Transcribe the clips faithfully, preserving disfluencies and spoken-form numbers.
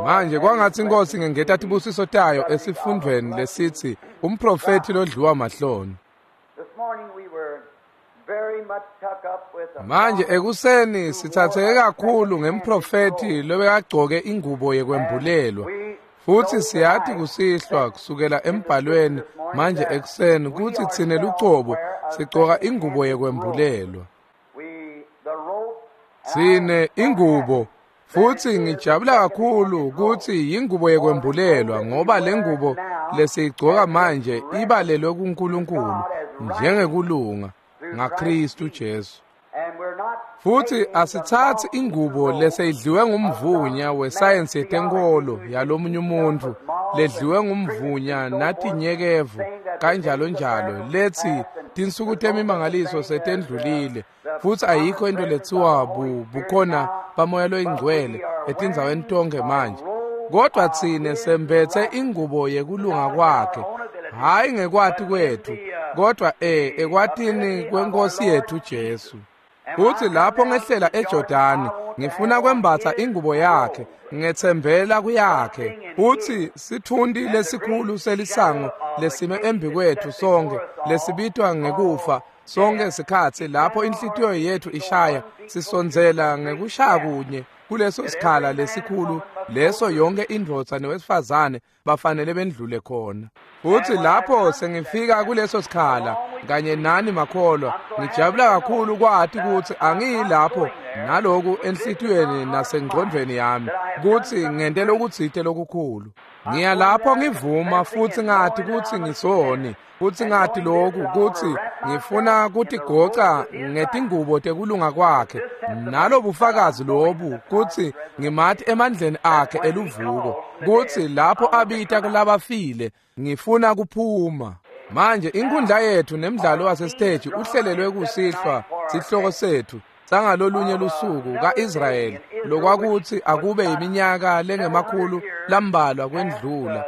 Manje kwangatsi iNkhosi ingengeta tibusiso tayo esifundvweni lesitsi umprofethi lodliwa mahloni. Manje ekuseni sithatheke kakhulu ngemprofethi lobekagcoke ingubo yekwembulelwa. Futsi siyati kusihlwa kusukela embhalweni manje ekuseni kutsi tsine lucobo sigcoka ingubo yekwembulelwa. Tsine ingubo futsi ngijabula kakhulu kutsi ingubo yekwembulelwa ngoba lengubo lesiyigcoka manje ibalelwe kuNkulunkulu njengekulunga ngaKristu Jesu. Futsi asitsatsi ingubo leseyidliwe ngumvunya wesayensi yetenkolo yalomunye umuntfu ledliwe ngumvunya natinyekevu kanjalo njalo letsi tinsuku temimangaliso setendlulile futsi ayikho into letsiwa bukhona bamoya loyingcwele etindzaweni tonke manje. Kodwa tsine sembetse ingubo yekulunga kwakhe, hhayi ngekwati kwethu, kodwa e ekwatini kweNkosi yethu Jesu. Futsi lapho ngehlela eJordani ngifuna kwembatsa ingubo yakhe, ngetsembela kuyakhe. Futsi sitfunti lesikhulu selisango lesime embi kwethu sonke lesibitwa ngekufa sonke sikhatsi lapho inhlitiyo yethu ishaya sisondzela ngekushaya kunye kuleso sikhala lesikhulu leso yonke indvodza newesifazane bafanele bendlule khona. Futsi lapho sengifika kuleso sikhala kanye nani makholwa ngijabula kakhulu kwati kutsi angiyilapho naloku enhlitiyweni nasengqondvweni yami kutsi ngente lokutsite lokukhulu. Ngiya lapho ngivuma futsi ngati kutsi ngisoni futsi ngati lokhu kutsi ngifuna kutigoca ngetingubo tekulunga kwakhe nalobufakazi lobu kutsi ngimati emandleni akhe eluvuko kutsi lapho abita kulabafile ngifuna kuphuma. Manje inkundla yethu nemdlalo wasesiteji uhlelelwe kusihlwa sihloko sethu sangalolunye lusuku kaIsrayeli lokwakuthi akube iminyaka lengemakhulu lambalwa kwendlula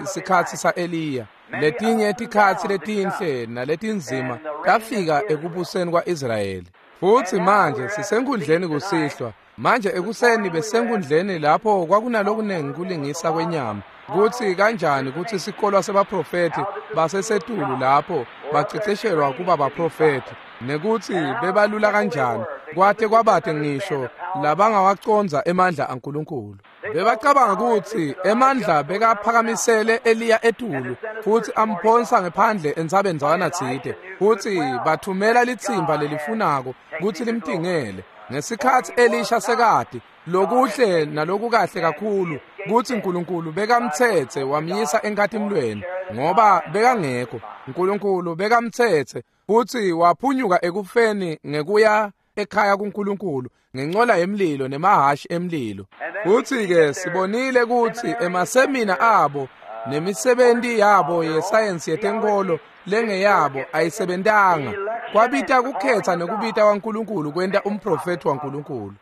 sikhatsi saEliya. Letinye tikhatsi letinhle naletinzima tafika ekubuseni kwaIsrayeli. Futsi manje sisenkundleni kusihlwa. Manje ekuseni besenkundleni lapho kwakunalokunengi kulingisa kwenyama kutsi kanjani kutsi sikolwa sebaprofethi basesetulu lapho baceceshelwa kuba baprofethi nekutsi bebalula kanjani kwate kwabate ngisho labangawacondza emandla aNkulunkulu. Bebacabanga kutsi emandla bekaphakamisele Eliya etulu futsi amphonsa ngephandle entsabeni tsite futsi bathumela litsimba lelifunako kutsi limtingele. Ngesikhatsi Elisha sekati lokuhle nalokukahle kakhulu kutsi uNkulunkulu bekamtsetse wamyisa enkatimlweni ngoba bekangekho uNkulunkulu bekamtsetse futsi waphunyuka ekufeni ngekuya ekhaya kuNkulunkulu ngencola yemlilo nemahashi emlilo. Futsi ke sibonile kutsi emasemina abo nemisebenti yabo yesayensi yetenkolo lengeyabo ayisebentanga. Kwabita kukhetha nekubita kwaNkulunkulu kwenta umprofethi waNkulunkulu.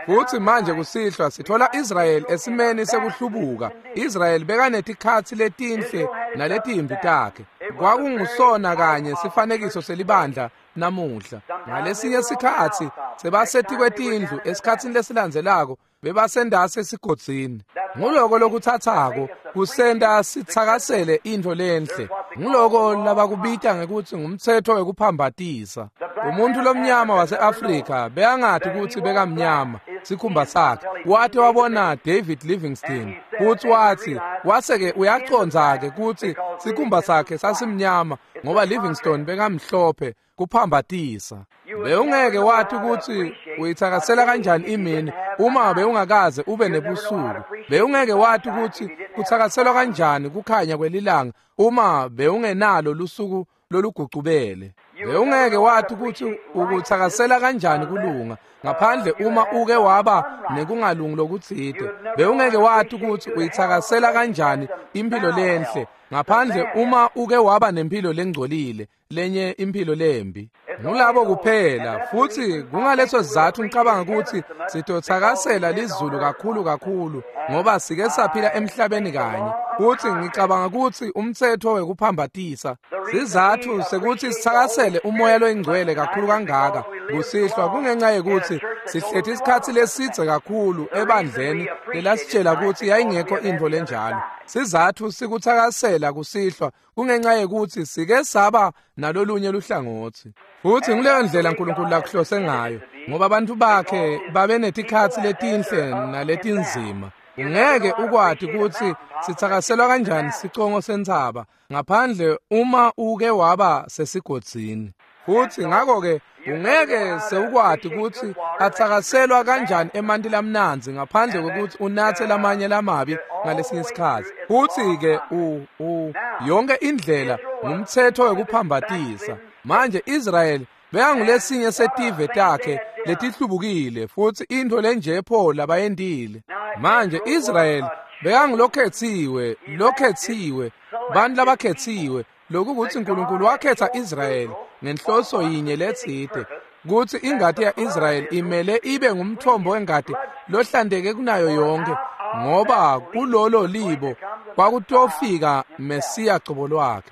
Futsi manje kusihlwa sithola Israyeli esimeni sekuhlubuka. Israyeli bekanetikhatsi letinhle naletimbi takhe. Kwakungusona kanye sifanekiso selibandla namuhla. Ngalesinye sikhatsi sebasetikwe tindlu, esikhatsini lesilandzelako bebasendase esigodzini. Nguloko lokuthathako kusenta sitsakasele intfo lenhle. Nguloko labakubita ngekutsi ngumtsetfo wekuphambatisa. Umuntu lomnyama waseAfrika bekangati kutsi bekamnyama sikhumba sakhe. Wate wabona David Livingstone futsi watsi wase-ke uyacondza-ke kutsi sikhumba sakhe sasimnyama ngoba Livingstone bekamhlophe kuphambatisa. Bewungeke wathi kutsi uyitsakasela kanjani imini uma bewungakaze ube nebusuku. Bewungeke wathi kutsi kutsakaselwa kanjani kukhanya kwelilanga uma bewungenalo lusuku lolugucubele. Bewungeke wathi kutsi ukutsakasela kanjani kulunga ngaphandle uma uke waba nekungalungi lokutsite. Bewungeke wathi kutsi uyitsakasela kanjani impilo lenhle ngaphandle uma uke waba nempilo lengcolile lenye impilo lembi. Ngulabo kuphela futsi kungaleso sizathu ngicabanga kutsi sitotsakasela lizulu kakhulu kakhulu ngoba sike saphila emhlabeni kanye. Futsi ngicabanga kutsi umtsetfo wekuphambatisa sizathu sekuthi sitsakasele umoya loyingcwele kakhulu kangaka Kusihlwa kungenxa yekutsi sihlethi isikhatsi lesidze kakhulu ebandleni lelasitshela kutsi yayingekho intfo lenjalo. Sizatfu sikutsakasela kusihlwa kungenxa yekutsi sike saba nalolunye luhlangotsi. Futsi nguleyo ndlela uNkulunkulu lakuhlose ngayo, ngoba abantu bakhe babe netikhatsi letinhle naletinzima. Ungeke ukwati kutsi sitsakaselwa kanjani sicongo sentsaba ngaphandle uma uke waba sesigodzini. Futsi ngakho-ke ungeke sewukwati kutsi atsakaselwa kanjani emanti lamnandzi ngaphandle kwekutsi unatse lamanye lamabi ngalesinye isikhatsi. Futsi-ke u u yonke indlela ngumtsetfo wekuphambatisa. Manje Israyeli bekangulesinye setive takhe letihlubukile futsi intfo lenje pho labayentile. Manje Israyeli bekangulokhetsiwe, lokhetsiwe, bantfu labakhetsiwe, lokukutsi uNkulunkulu wakhetsa Israyeli ngenhloso yinye letsite, kutsi ingati ya-Israyeli imele ibe ngumthombo wengati lohlanteke kunayo yonke, ngoba kulolo libo kwakutofika Mesiya cobo lwakhe.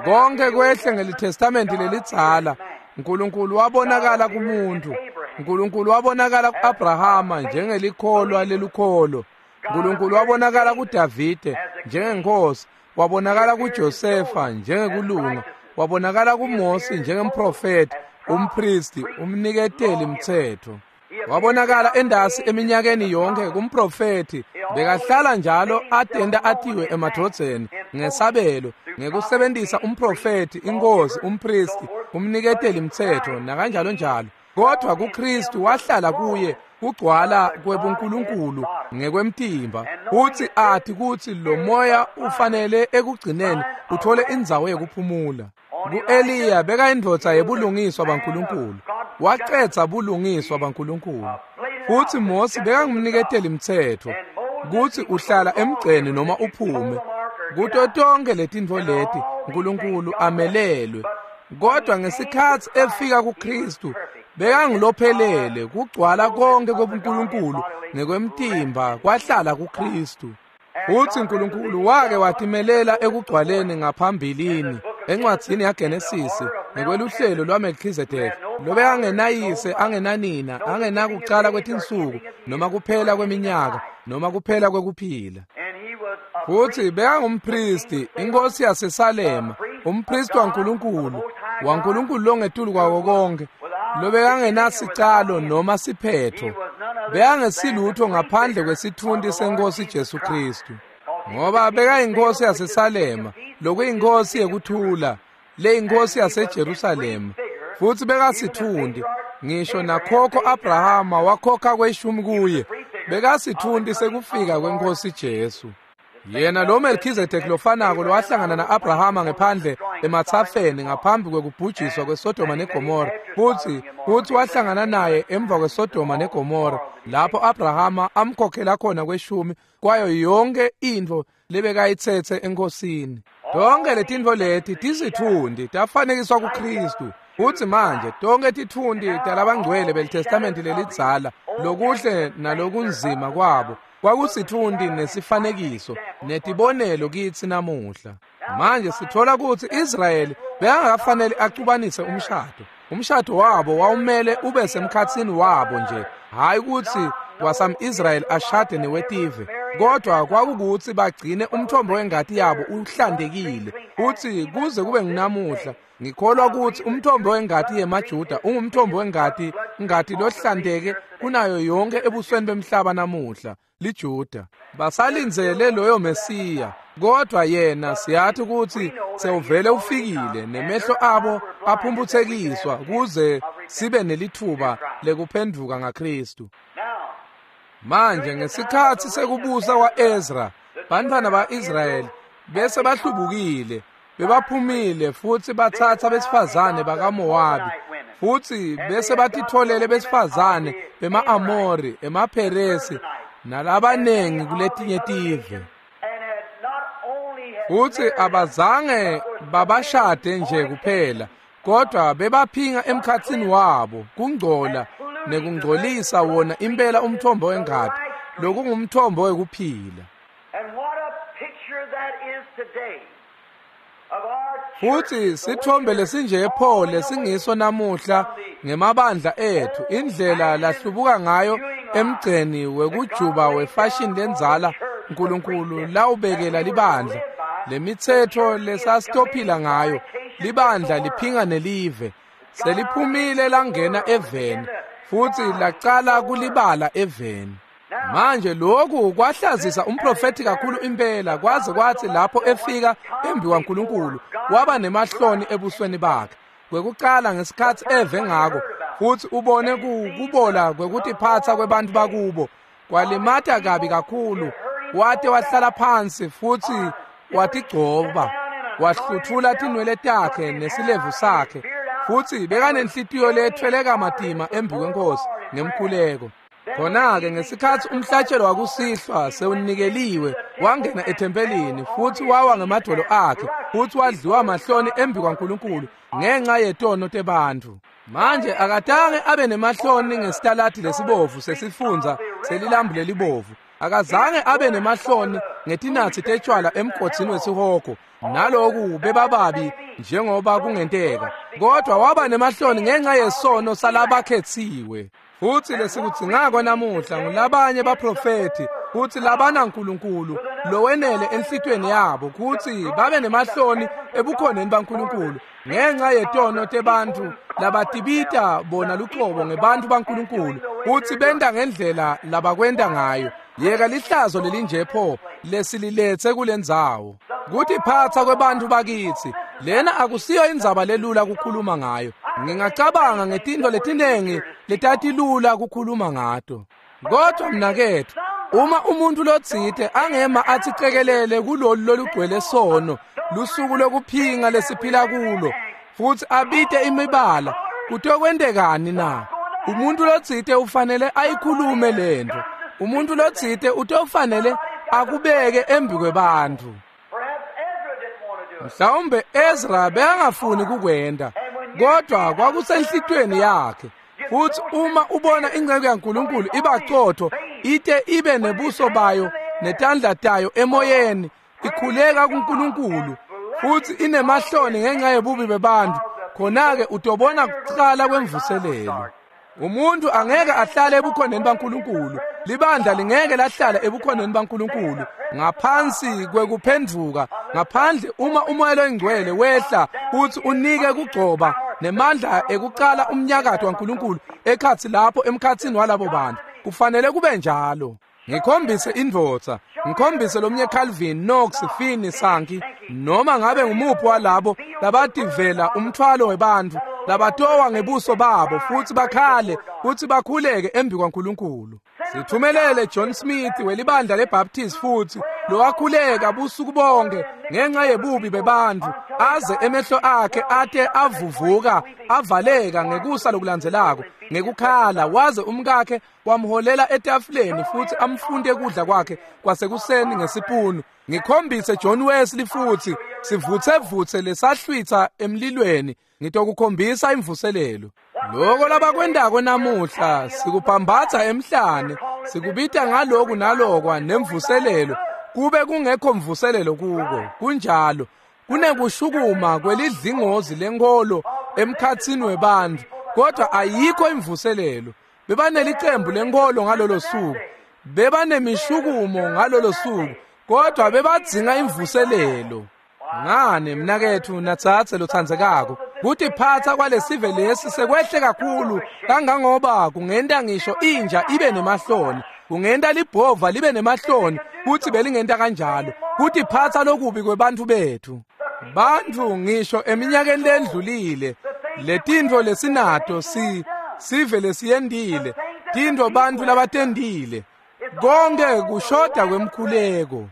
Konke kwehle ngelitestamenti lelidzala, uNkulunkulu wabonakala kumuntu. uNkulunkulu wabonakala ku-Abrahama njengelikholwa lelukholo. uNkulunkulu wabonakala kuDavide njengenkosi, wabonakala kuJosefa njengekulunga, wabonakala kuMose njengemprofeti, umpristi, umniketeli mtsetfo. Wabonakala endasi eminyakeni yonke kumprofeti, bekahlala njalo atenta atiwe emadvodzeni ngesabelo, ngekusebentisa umprofeti, inkosi, umpristi, umniketeli mtsetfo nakanjalo njalo. Kodwa kuKristu wahlala kuye kugcwala kwebuNkulunkulu ngekwemtimba, futsi ati kutsi lo moya ufanele ekugcineni uthole indzawo yekuphumula. Ku-Eliya bekayindvodza yebulungiswa baNkulunkulu, wacedza bulungiswa baNkulunkulu. Futsi Mose bekangumniketeli mtsetfo kutsi uhlala emgceni noma uphume. Kuto tonkhe letintfo leti uNkulunkulu amelelwe. Kodwa ngesikhatsi efika kuKristu bekangulophelele, kugcwala konke kwebuNkulunkulu ngekwemtimba kwahlala kuKristu. Futsi uNkulunkulu wake watimelela ekugcwaleni ngaphambilini encwadzini yaGenesisi ngekweluhlelo lwaMelkhizedeki, lobekangenayise, angenanina, angenakucala kwetinsuku noma kuphela kweminyaka noma kuphela kwekuphila. Futsi bekangumpristi, inkosi yaseSalema, umpristi waNkulunkulu, waNkulunkulu longetulu kwawo konke, lobekangenasicalo noma siphetho, bekangesilutho ngaphandle kwesitfunti senkosi Jesu Kristu. Ngoba bekayinkosi yaseSalema, lokuyinkosi yekuthula, leyinkosi yaseJerusalema. Futsi bekasitfunti, ngisho nakhokho Abrahama wakhokha kweshumi kuye, bekasitfunti sekufika kwenkosi Jesu. Yena lo Melkhizedeki lofanako lowahlangana na-Abrahama ngephandle ematsafeni ngaphambi kwekubhujiswa kweSodoma neGomora, futsi futsi wahlangana naye emva kweSodoma neGomora, lapho Abrahama amkhokhela khona kweshumi kwayo yonke intfo lebekayitsetse enkosini. Tonke letintfo leti tisitfunti tafanekiswa kuKristu. Futsi manje tonke titfunti talabangcwele belitestamenti lelidzala, lokuhle nalokunzima kwabo, kwakusitfunti nesifanekiso netibonelo kitsi namuhla. Manje sithola kutsi Israyeli bekangakafanele acubanise umshado. Umshado wabo wawumele ube semkhatsini wabo nje, hhayi kutsi wasam-Israyeli ashade newetive, kodwa kwakukutsi bagcine umthombo wengati yabo uhlantekile. Futsi kuze kube ngunamuhla ngikholwa kutsi umthombo wengati yemaJuda ungumthombo wengati ngati lohlanteke kunayo yonke ebusweni bemhlaba namuhla, liJuda. Basalindzele loyo Mesiya, kodwa yena siyathi kutsi sewuvele ufikile, nemehlo abo aphumphutsekiswa kuze sibe nelitfuba lekuphenduka ngaKristu. Manje ngesikhatsi sekubusa kwa-Ezra, bantfwana ba-Israyeli bese bahlubukile, bebaphumile futsi batsatsa besifazane bakaMowabi, futsi bese batitfolele besifazane bema-Amori, emaPheresi nalabanengi kuletinye tive. Futsi abazange babashade nje kuphela, kodwa bebaphinga emkhatsini wabo kungcola nekungcolisa wona impela umthombo wengati, lokungumthombo wekuphila. And what a picture that is today. Futhi sithombe lesinje pho lesingiso namuhla ngemabandla ethu, indlela lahlubuka ngayo emgceni wekujuba wefashion lenzala uNkulunkulu lawubekela libandla lemithetho lesasitophila ngayo. Libandla liphinga nelive seliphumile langena eveni futhi lacala kulibala eveni. Manje lokhu kwahlazisa umprofeti kakhulu impela, kwaze kwathi lapho efika embi kwaNkulunkulu waba nemahloni ebusweni bakhe. Kwekuqala ngesikhathi eve ngako futhi ubone kubola kwekutiphatsa kwebantu bakubo kwalimata kabi kakhulu, wate wahlala phansi futhi watigcoba, wahluthula tinwele takhe nesilevu sakhe, futhi bekanenhlitiyo lethweleka matima embi kwenkosi ngemkhuleko. Khona-ke ngesikhathi umhlatshelo wakusihlwa sewunikeliwe, wangena ethempelini futhi wawa ngemadolo akhe futhi wadliwa mahloni embi kwaNkulunkulu ngenxa yetono tebantfu. Manje akatange abe nemahloni ngesitaladi lesibovu sesifundza selilambu lelibovu. Akazange abe nemahloni ngetinatsi tetshwala emgodzini wesihogo, naloku bebababi njengoba kungenteka, kodwa waba nemahloni ngenxa yesono salabakhetsiwe. Futhi lesikudzingako namuhla ngulabanye baprofeti futhi labana nkulunkulu lowenele enhlitweni yabo kutsi babe nemahloni ebukhoneni baNkulunkulu ngenxa yetono tebantfu labatibita bona luqobo ngebantfu baNkulunkulu kutsi benta ngendlela labakwenta ngayo. Yeka lihlazo lelinje pho lesililethe kulendzawo. Kutiphatsa kwebantfu bakitsi lena akusiyo indzaba lelula kukhuluma ngayo. Ngingacabanga ngetintfo letinengi letatilula kukhuluma ngato, kodwa mnaketfu, uma umuntu lotsite angema athi cekelele kulolu lolugcwele sono lusuku lokuphinga lesiphila kulo futhi abite imibala, kutokwentekani na? Umuntu lotsite ufanele ayikhulume lento. Umuntu lotsite utofanele akubeke embi kwebantfu. Mhlawumbe Ezra bekangafuni kukwenta, kodwa kwakusenhlitweni yakhe. Futhi uma ubona inceku yaNkulunkulu ibaqotho ite ibe nebuso bayo netandla tayo emoyeni ikhuleka kuNkulunkulu futhi inemahloni ngenxa yebubi bebantfu, khona-ke utobona kucala kwemvuselelo. Umuntu angeke ahlale ebukhoneni baNkulunkulu, libandla lingeke lahlala ebukhoneni baNkulunkulu ngaphansi kwekuphendvuka, ngaphandle uma umoya loyingcwele wehla futhi unike kugcoba nemandla ekucala umnyakato waNkulunkulu ekhatsi lapho emkhatsini walabo bantu. Kufanele kube njalo. Ngikhombise indvodza, ngikhombise lomnye Calvin, Knox, Finney, Sankey, noma ngabe ngumuphi walabo labativela umthwalo webantfu labatowa ngebuso babo futhi bakhale futhi bakhuleke embi kwaNkulunkulu. Sithumelele John Smith welibandla leBaptist futhi lowakhuleka busuku bonke ngenxa yebubi bebantfu aze emehlo akhe ate avuvuka avaleka ngekusa lokulandzelako ngekukhala, waze umkakhe wamholela etafuleni futhi amfunde kudla kwakhe kwasekuseni ngesipunu. Ngikhombise John Wesley futhi sivuthevuthe lesahlwitha emlilweni, ngitokukhombisa imvuselelo. Loko labakwendako namuhla sikuphambatha emhlane, sikubita ngaloku nalokwa nemvuselelo, kube kungekho mvuselelo kuko. Kunjalo, kunekushukuma kwelidlingozi lenkolo emkhatsini webantfu, kodwa ayikho imvuselelo. Bebanelicembu lenkolo ngalolo suku, bebanemishukumo ngalolo suku, kodwa bebadzinga imvuselelo. Ngani mnaketfu natsatse lotsandzekako, kutiphatsa kwalesive lesi sekwehle kakhulu kangangoba kungenta ngisho inja ibe nemahloni, kungenta libhova libe nemahloni kutsi belingenta kanjalo. Kutiphatsa lokubi kwebantfu betfu. Bantfu ngisho eminyakeni lendlulile, letintfo lesinato si sive lesiyendile, tintfo bantfu labatendile, konke kushoda kwemkhuleko.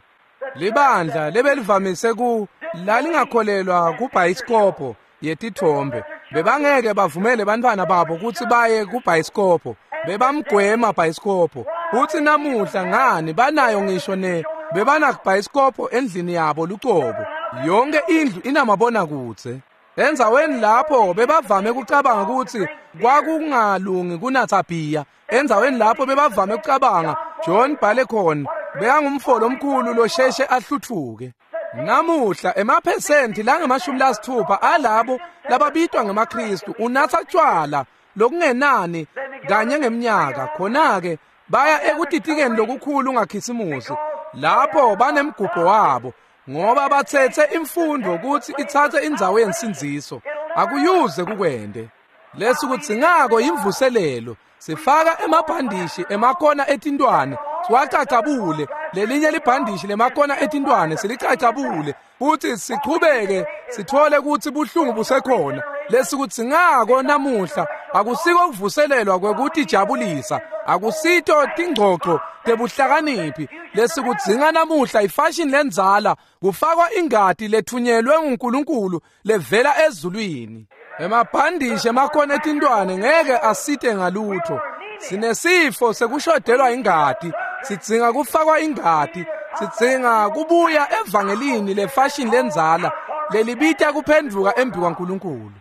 Libandla lebelivamise ku lalingakholelwa kubhayisikobho yetithombe, bebangeke bavumele bantfwana babo kutsi baye kubhayisikobho, bebamgwema bhayisikobho. Futsi namuhla ngani banayo ngisho ne bebanakubhayisikobho endlini yabo lucobo. Yonke indlu inamabonakudze. Endzaweni lapho bebavame kucabanga kutsi kwakungalungi kunatsa bhiya, endzaweni lapho bebavame kucabanga John Balekhon bekangumfo lomkhulu losheshe ahlutfuke. Namuhla emaphesenti langemashumi lasithupha alabo lababitwa ngemaKristu unatsa tjwala lokungenani kanye ngemnyaka. Khona-ke baya ekutitikeni lokukhulu ngakhisimusi lapho banemgubho wabo ngoba batsetse imfundo kutsi itsatse indzawo yensindziso. Akuyuze kukwende. Lesikudzingako imvuselelo. Sifaka emabhandishi emakona etintwane siwacacabule, lelinye libhandishi lemakona etintwane silicacabule futhi sichubeke sithole ukuthi buhlungu busekhona. Lesikudzingako namuhla akusiko kuvuselelwa kwekutijabulisa, akusito tingcoco tebuhlakaniphi. Lesikudzinga namuhla ifashion lendzala, kufakwa ingati lethunyelwe nguNkulunkulu levela ezulwini. Emabhandishi emakona etintwane ngeke asite ngalutho. Sinesifo sekushodelwa ingati, sidzinga kufakwa ingati, sidzinga kubuya evangelini lefashion lendzala lelibita kuphendvuka embi kwaNkulunkulu.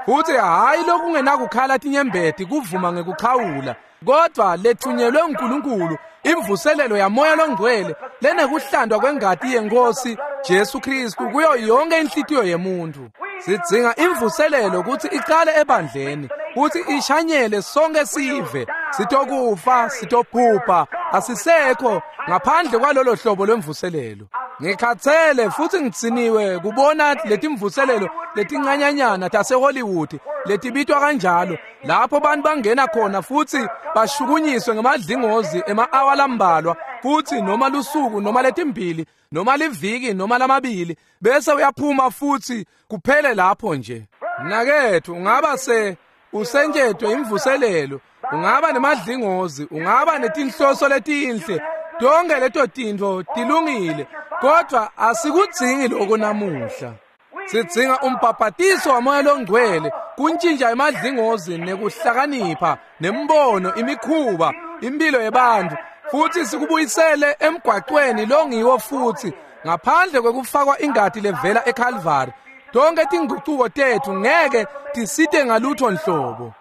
Futhi hhayi lokungenakukhala tinyembeti kuvuma ngekuchawula, kodwa lethunyelwe nguNkulunkulu imvuselelo yaMoya loNgcwele lenekuhlandwa kwengati yeNkosi Jesu Kristu kuyo yonke inhlitiyo yemuntu. Sidzinga imvuselelo kutsi icale ebandleni, kutsi ishanyele sonke sive. Sitokufa, sitobhubha, asisekho ngaphandle kwalolo hlobo lwemvuselelo. Ngikhathele futhi ngitsiniwe kubona letimvuselelo letincanyanyana taseHollywood letibitwa kanjalo, lapho bantu bangena khona futhi bashukunyiswe ngemadlingozi ema-awa lambalwa, futhi noma lusuku noma letimbili noma liviki noma lamabili, bese uyaphuma futhi kuphele lapho nje. Mnaketfu, ungaba se usentshetwe imvuselelo, ungaba nemadlingozi, ungaba netinhloso letinhle, tonke leto tintfo tilungile, kodwa asikudzingi lokho namuhla. Sidzinga umbhabhatiso waMoya loNgcwele kuntshintsha emadlingozi nekuhlakanipha nembono, imikhuba, impilo yebantfu, futhi sikubuyisele emgwaqweni longiwo futhi ngaphandle kwekufakwa ingati levela eCalvary. Tonke tingucuko tetfu ngeke tisite ngalutho nhlobo.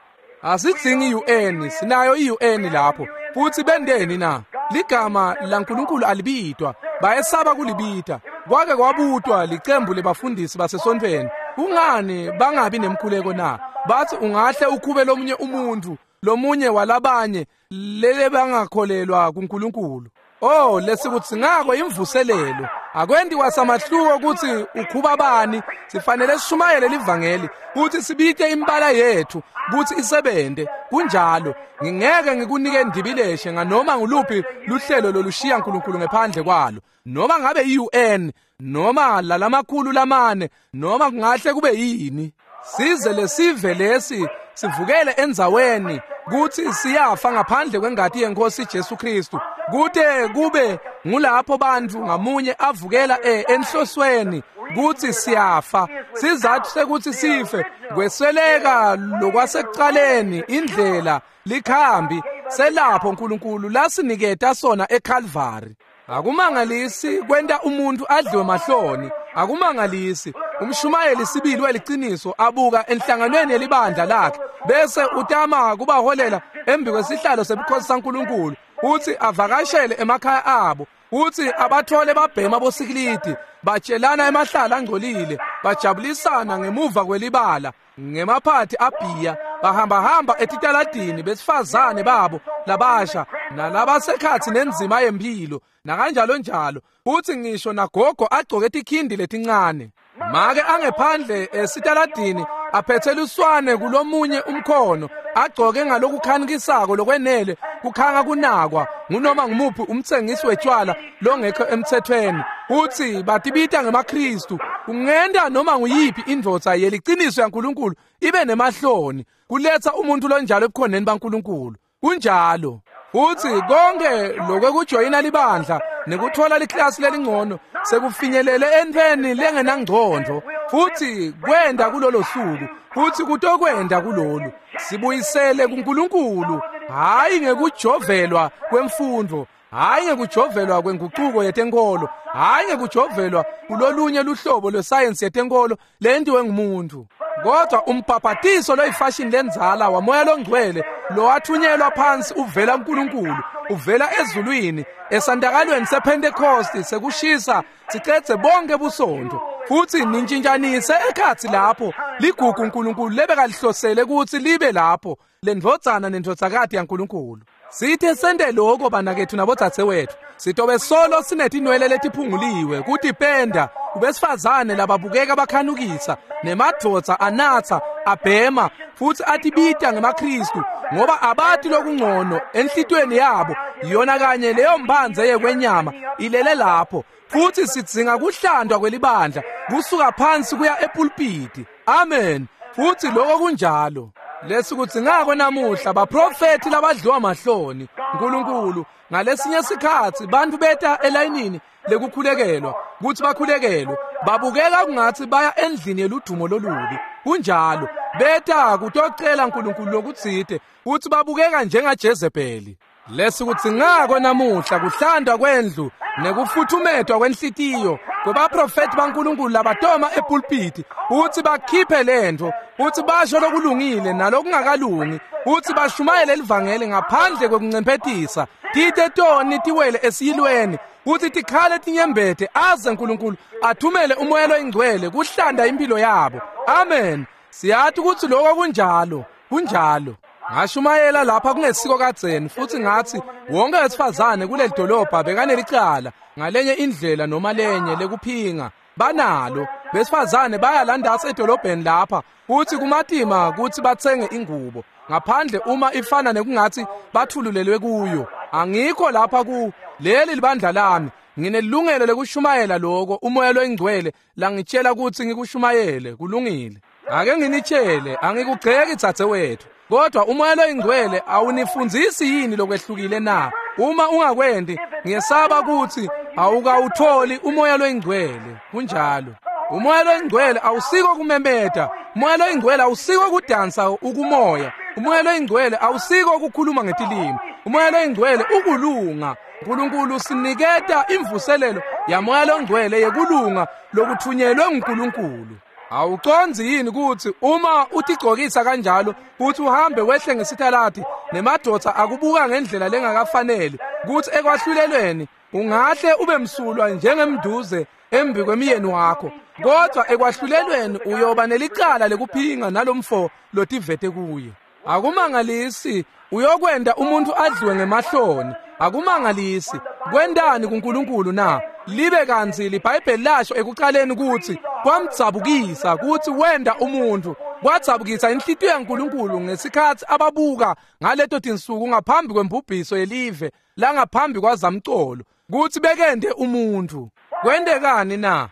Asidzingi i-U N, sinayo i-U N lapho. Futhi bendeni na? Ligama laNkulunkulu alibitwa, bayesaba kulibita. Kwake kwabutwa licembu lebafundisi basesontfweni. Kungani bangabi nemkhuleko na? Bathi ungahle ukhube lomunye umuntu, lomunye walabanye lele bangakholelwa kuNkulunkulu. Oh, lesikudzingako imvuselelo. Akwendi kwasamahluko kutsi ukhuba bani, sifanele sishumayele livangeli kutsi sibite imbala yethu kutsi isebente. Kunjalo, ngingeke ngikunike ndibileshe nganoma nguluphi luhlelo lolushiya uNkulunkulu ngephandle kwalo, noma ngabe i-U N noma lalamakhulu lamane, noma kungahle kube yini. Size lesive lesi sivukele endzaweni kutsi siyafa ngaphandle kwengati yeNkosi Jesu Kristu, kute kube ngulapho bantfu ngamunye avukela enhlosweni kutsi siyafa. Sizatfu sekuthi sife kwesweleka lokwasekucaleni, indlela likhambi selapho uNkulunkulu lasiniketa sona eCalvary. Akumangalisi kwenta umuntu adliwe mahloni, akumangalisi umshumayeli sibili weliciniso abuka enhlanganweni yelibandla lakhe bese utama kubaholela embi kwesihlalo sebukhosi saNkulunkulu, uthi avakashele emakhaya abo, uthi abathole babhema bosikilidi, batshelana emahlala angcolile, bajabulisana ngemuva kwelibala ngemaphathi abhiya, bahambahamba etitaladini besifazane babo labasha nalabasekhathi nenzima yempilo nakanjalo njalo. Uthi ngisho nagogo agcoke tikhindi letincane, make angephandle esitaladini aphethe luswane kulomunye umkhono, agcoke ngalokukhanikisako lokwenele kukhanga kunakwa ngunoma ngumuphi umtsengisi wetshwala longekho emthethweni. Uthi batibita ngemaKristu. Kungenta noma nguyiphi indvodza yeliciniso yaNkulunkulu ibe nemahloni kuletha umuntu lonjalo ebukhoneni baNkulunkulu. Kunjalo. Uthi konke lokwekujoyina libandla nekuthola liklasi lelingcono sekufinyelele entfweni lengenangcondvo, futhi kwenda kulolo suku, futhi kutokwenda kulolu. Sibuyisele kuNkulunkulu, hhayi ngekujovelwa kwemfundo, hhayi ngekujovelwa kwengucuko yetenkolo, hhayi ngekujovelwa kulolunye luhlobo lwesayensi yetenkolo lentiwe ngumuntu, kodwa umbhabhatiso loyifashion lendzala waMoya loNgcwele lowathunyelwa phansi uvela kuNkulunkulu, uvela ezulwini esandakalweni sePentecost sekushisa sicedze bonke busontfo futsi nintshintjanise ekhatsi lapho ligugu uNkulunkulu lebekalihlosele kutsi libe lapho lendvodzana nendvodzakati yaNkulunkulu. Sithe sente lokho banakethu nabodzadzewethu sitobe solo sinetinwele letiphunguliwe kutipenda kubesifazane lababukeka bakhanukisa nemadvodza anatsa abhema futsi atibita ngemaKristu ngoba abati lokungcono enhlitiyweni yabo yona kanye leyo mphandze yekwenyama ilele lapho. Futsi sidzinga kuhlandwa kwelibandla kusuka phansi kuya epulpiti. Amen. Futsi lokho kunjalo. Lesikudzingako namuhla baprofethi labadliwa mahloni uNkulunkulu. Ngalesinye sikhatsi bantfu beta elayinini lekukhulekelwa kutsi bakhulekelwe babukeka kungatsi baya endlini yeludumo lolubi. Kunjalo beta kutocela uNkulunkulu lokutsite kutsi babukeka njengaJezebeli. Lesikudzingako namuhla kuhlandwa kwendlu nekufuthumetwa kwenhlitiyo kwebaprofethi baNkulunkulu labatoma epulpiti kutsi bakhiphe lentfo kutsi basho lokulungile nalokungakalungi kutsi bashumayele livangeli ngaphandle kwekuncemphetisa tite toni tiwele esiyilweni kutsi tikhale tinyembete aze uNkulunkulu athumele umoya loyingcwele kuhlanda impilo yabo. Amen. Siyati kutsi lokho kunjalo. Kunjalo. Ngashumayela lapha kungesiko kadzeni futsi ngatsi wonke wesifazane kuleli dolobha bekanelicala ngalenye indlela noma lenye lekuphinga banalo. Besifazane baya landasa edolobheni lapha futsi kumatima kutsi batsenge ingubo ngaphandle uma ifana nekungatsi bathululelwe kuyo. Angikho lapha ku leli libandla lami, nginelungelo lekushumayela lokho umoya loyingcwele langitshela kutsi ngikushumayele. Kulungile. Ake nginitshele, angikugceki dzadzewethu, kodwa umoya loyingcwele awunifundzisi yini lokwehlukile na? Uma ungakwendi ngiyesaba kutsi awukawutholi umoya loyingcwele. Kunjalo. Umoya loyingcwele awusiko kumemeta. Umoya loyingcwele awusiko kudansa ukumoya. Umoya loyingcwele awusiko ukukhuluma ngetilimi. Umoya loyingcwele ukulunga. uNkulunkulu siniketa imvuselelo yamoya longcwele yekulunga lokuthunyelwe nguNkulunkulu. Awucondzi yini kutsi uma utigcokisa kanjalo kutsi uhambe wehle ngesitaladi nemadvodza akubuka ngendlela lengakafaneli kutsi ekwahlulelweni ungahle ube msulwa njengemduze embi kwemiyeni wakho, kodwa ekwahlulelweni uyoba nelicala lekuphinga nalomfo lotivete kuye. Akumangalisi uyokwenda umuntu adliwe ngemahloni. Akumangalisi kwendani kuNkulunkulu na? Libe kantsi liBhayibheli lasho ekuqaleni kutsi kwamdzabukisa kutsi wenda umuntu, kwadzabukisa inhlitiyo yaNkulunkulu ngesikhatsi ababuka ngaleto tinsuku ngaphambi kwembubhiso yelive langaphambi kwazamcolo kutsi bekende umuntu. Kwendekani na?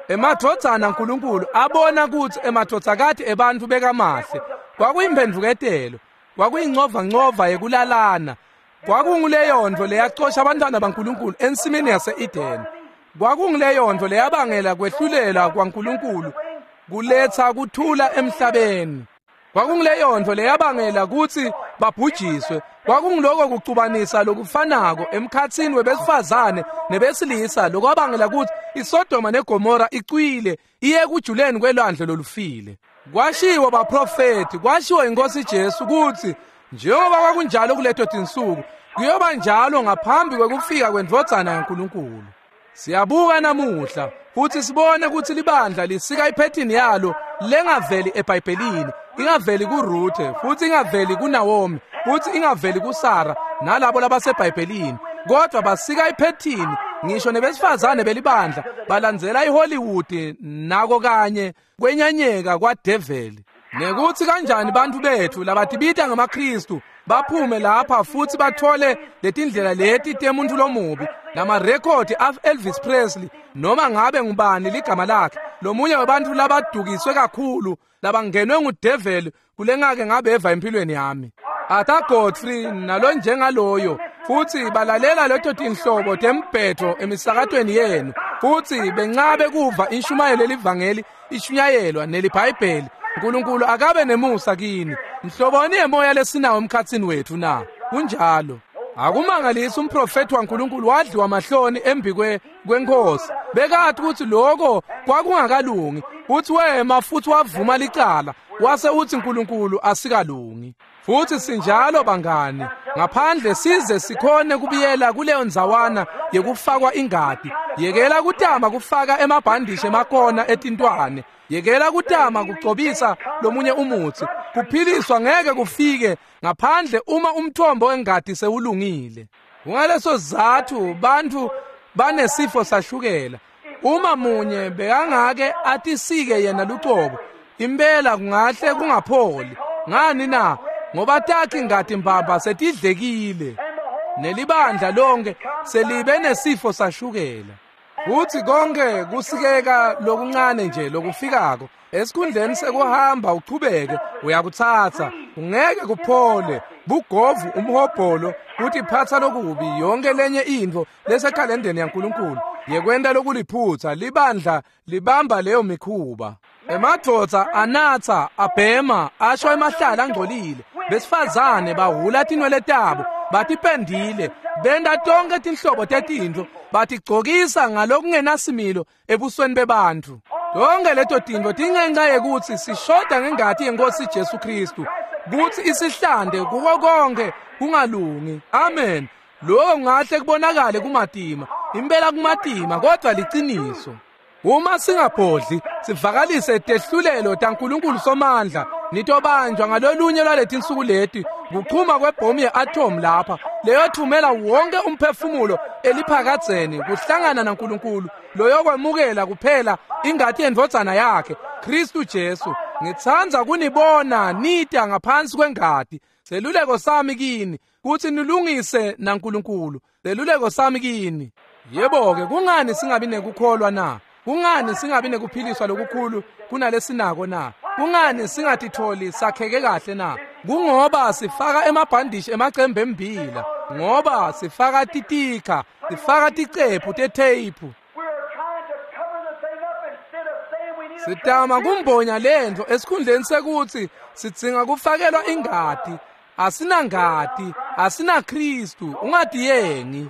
Emadvodzana aNkulunkulu abona kutsi emadvodzakati ebantfu bekamahle. Kwakuyimphendvuketelo, kwakuyincovancova yekulalana, kwakunguleyontfo leyacosha abantwana baNkulunkulu ensimini yase-Edeni. Kwakunguleyontfo leyabangela kwehlulela kwaNkulunkulu kuletsa kuthula emhlabeni. Kwakunguleyontfo leyabangela kutsi babhujiswe. Kwakunguloko kucubanisa lokufanako emkhatsini webesifazane nebesilisa lokwabangela kutsi iSodoma neGomora icwile iye kujuleni kwelwandle lolufile. Kwashiwo baprofethi, kwashiwo inkosi Jesu kutsi njengoba kwakunjalo kuleto tinsuku kuyoba njalo ngaphambi kwekufika kwendvodzana yaNkulunkulu. Siyabuka namuhla futhi sibone kutsi libandla lisika iphethini yalo lengaveli eBhayibhelini, ingaveli kuRuthe futhi ingaveli kuNaomi futhi ingaveli kuSara nalabo labaseBhayibhelini, kodwa basika iphethini ngisho nebesifazane belibandla balandzela iHollywood nako kanye kwenyanyeka kwaDeveli. Nekuthi kanjani bantu bethu labatibita ngamaKristu baphume lapha futhi bathole letindlela leti temuntu lomubi namarekhodi af Elvis Presley noma ngabe ngubani ligama lakhe, lomunye wabantu labadukiswe kakhulu labangenwe nguDeveli kulengake ngabeva empilweni yami. Arthur Godfrey nalo njengaloyo futhi balalela leto tinhlobo tembhetho emisakatweni yenu futhi bencabe kuva inshumayelo elivangeli ishunyayelwa neliBhayibheli. uNkulunkulu akabe nemusa kini. Mhloboni yemoya lesinawo emkhatsini wethu na? Kunjalo. Akumangalisi umprofethi waNkulunkulu wadliwa mahloni embi kwenkosi. Bekathi ukuthi lokho kwakungakalungi, uthi wema futhi wavuma licala wase uthi uNkulunkulu asikalungi. Futhi sinjalo bangani, ngaphandle size sikhone kubiyela kuleyo ndzawana yekufakwa ingati. Yekela kutama kufaka emabhandishi emakona etintwane. Yekela kutama kucobisa lomunye umutsi. Kuphiliswa ngeke kufike ngaphandle uma umthombo wengati sewulungile. Kungaleso sizatfu bantfu banesifo sashukela. Uma munye bekangake atisike yena lucobo, impela kungahle kungapholi. Ngani na? Ngoba takhe ingati mbamba setidlekile. Nelibandla lonke selibe nesifo sashukela. Futhi konke kusikeka lokuncane nje lokufikako esikhundleni sekuhamba uchubeke uyakutsatsa, ungeke kuphole. Bugovu, umhobholo, kutiphatsa lokubi, yonke lenye intfo lesekhalendeni yaNkulunkulu yekwenta lokuliphutsa. Libandla libamba leyo mikhuba. Emadvodza anatsa, abhema, asho emahlala angcolile. Besifazane bahula tinwele tabo, batipendile, benta tonke tinhlobo tetintfo, batigcokisa ngalokungenasimilo ebusweni bebantfu. Tonke leto tintfo tingenxa yekutsi sishoda ngengati yeNkosi Jesu Kristu kutsi isihlande kuko konke kungalungi. Amen. Lokho kungahle kubonakale kumatima, impela kumatima, kodwa liciniso. Uma singabhodli sivakalise tehlulelo taNkulunkulu somandla, nitobanjwa ngalolunye lwaletinsuku leti kuchuma kwebhomu ye-atom lapha leyothumela wonke umphefumulo eliphakadzeni kuhlangana naNkulunkulu loyokwemukela kuphela ingati yendvodzana yakhe Kristu Jesu. Ngitsandza kunibona nita ngaphansi kwengati. Seluleko sami kini kutsi nilungise naNkulunkulu. Seluleko sami kini. Yebo-ke, kungani singabi nekukholwa na? Kungani singabi nekuphiliswa lokukhulu kunalesinako na? Kungani singatitholi sakheke kahle na? Kungoba sifaka emabhandishi emacembe embila, ngoba sifaka titikha, sifaka ticephu tetheyiphu. Sitama kumbonya lentfo esikhundleni sekutsi sidzinga kufakelwa ingati. Asinangati, asinaKristu. Ungatiyengi.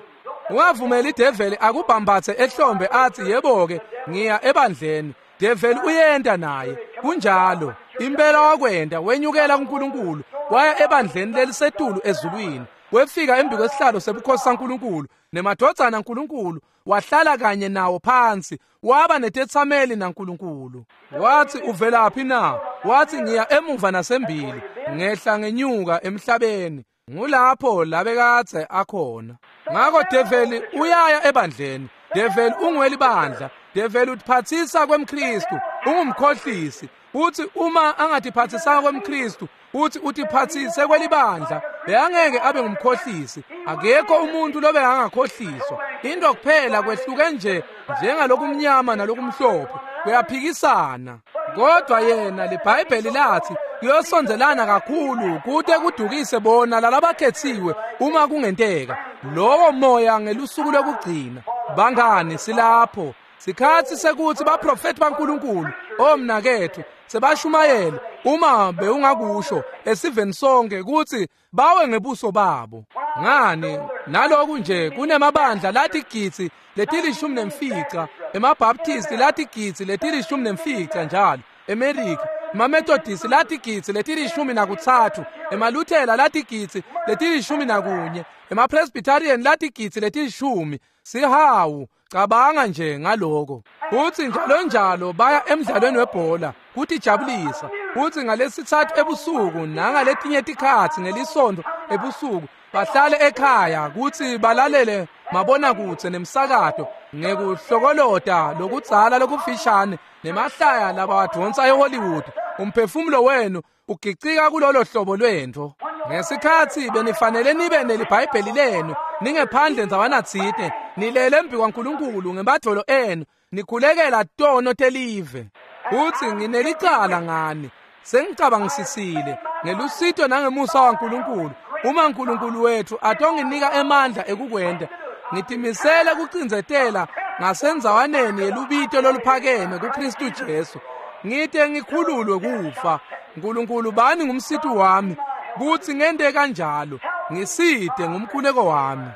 Ungavumeli ideveli akubhambathe ehlombe athi yebo-ke ngiya ebandleni. Develi uyenta naye. Kunjalo. Impela wakwenta, wenyukela kuNkulunkulu, waya ebandleni lelisetulu ezulwini. Wefika embi kwesihlalo sebukhosi saNkulunkulu nemadvodzana aNkulunkulu, wahlala kanye nawo phansi, waba netetsameli naNkulunkulu. Wathi uvelaphi na? Wathi ngiya emuva nasembili, ngehla ngenyuka emhlabeni. Ngulapho labekadze akhona. Ngako develi uyaya ebandleni. Develi ungwelibandla. Develi utiphatsisa kwemKristu, ungumkhohlisi. Uthi uma angatiphathisanga kwemKristu, uthi utiphatsise kwelibandla, bekangeke abe ngumkhohlisi. Akekho umuntu lobe angakhohliswa. Into kuphela kwehluke nje njengalokumnyama nalokumhlophe, kuyaphikisana. Kodwa yena liBhayibheli lathi kuyosondelana kakhulu kute kudukise bona lalabakhethiwe uma kungenteka. Lowo moya ngelusuku lokugcina. Bangani, silapho. Sikhatsi sekuthi baprofeti baNkulunkulu, omnakethu, sebashumayele uma bewungakusho esiveni sonke kutsi bawe ngebuso babo. Ngani naloku nje kunemabandla latigidzi letilishumi nemfica, emaBaptisti latigidzi letilishumi nemfica njalo eMelika, emaMethodist latigidzi letilishumi nakutsatfu, emaLuthela latigidzi letilishumi nakunye, emaPresbyterian latigidzi letilishumi. Sihawu, cabanga nje ngaloko. Futsi njalo njalo baya emdlalweni webhola kutijabulisa. Futsi ngalesithathu ebusuku nangaletinye tikhatsi ngelisonto ebusuku bahlale ekhaya kutsi balalele mabonakudze nemsakato ngekuhlokolota lokudzala lokufishane nemahlaya labawadvonsa eHollywood. Umphefumulo wenu ugicika kulolo hlobo lwentfo. Ngesikhatsi benifanele nibe neliBhayibheli lenu ningephandle ndzawana tsite, nilele embi kwaNkulunkulu ngemadvolo enu, nikhulekela tono telive. Futsi nginelicala ngani. Sengicabangisisile ngelusito nangemusa waNkulunkulu. Uma uNkulunkulu wethu atonginika emandla ekukwenta, ngitimisele kucindzetela ngasendzawaneni yelubito loluphakeme kuKristu Jesu, ngite ngikhululwe kufa. Nkulunkulu bani ngumsiti wami kutsi ngente kanjalo. Ngisite ngumkhuleko wami.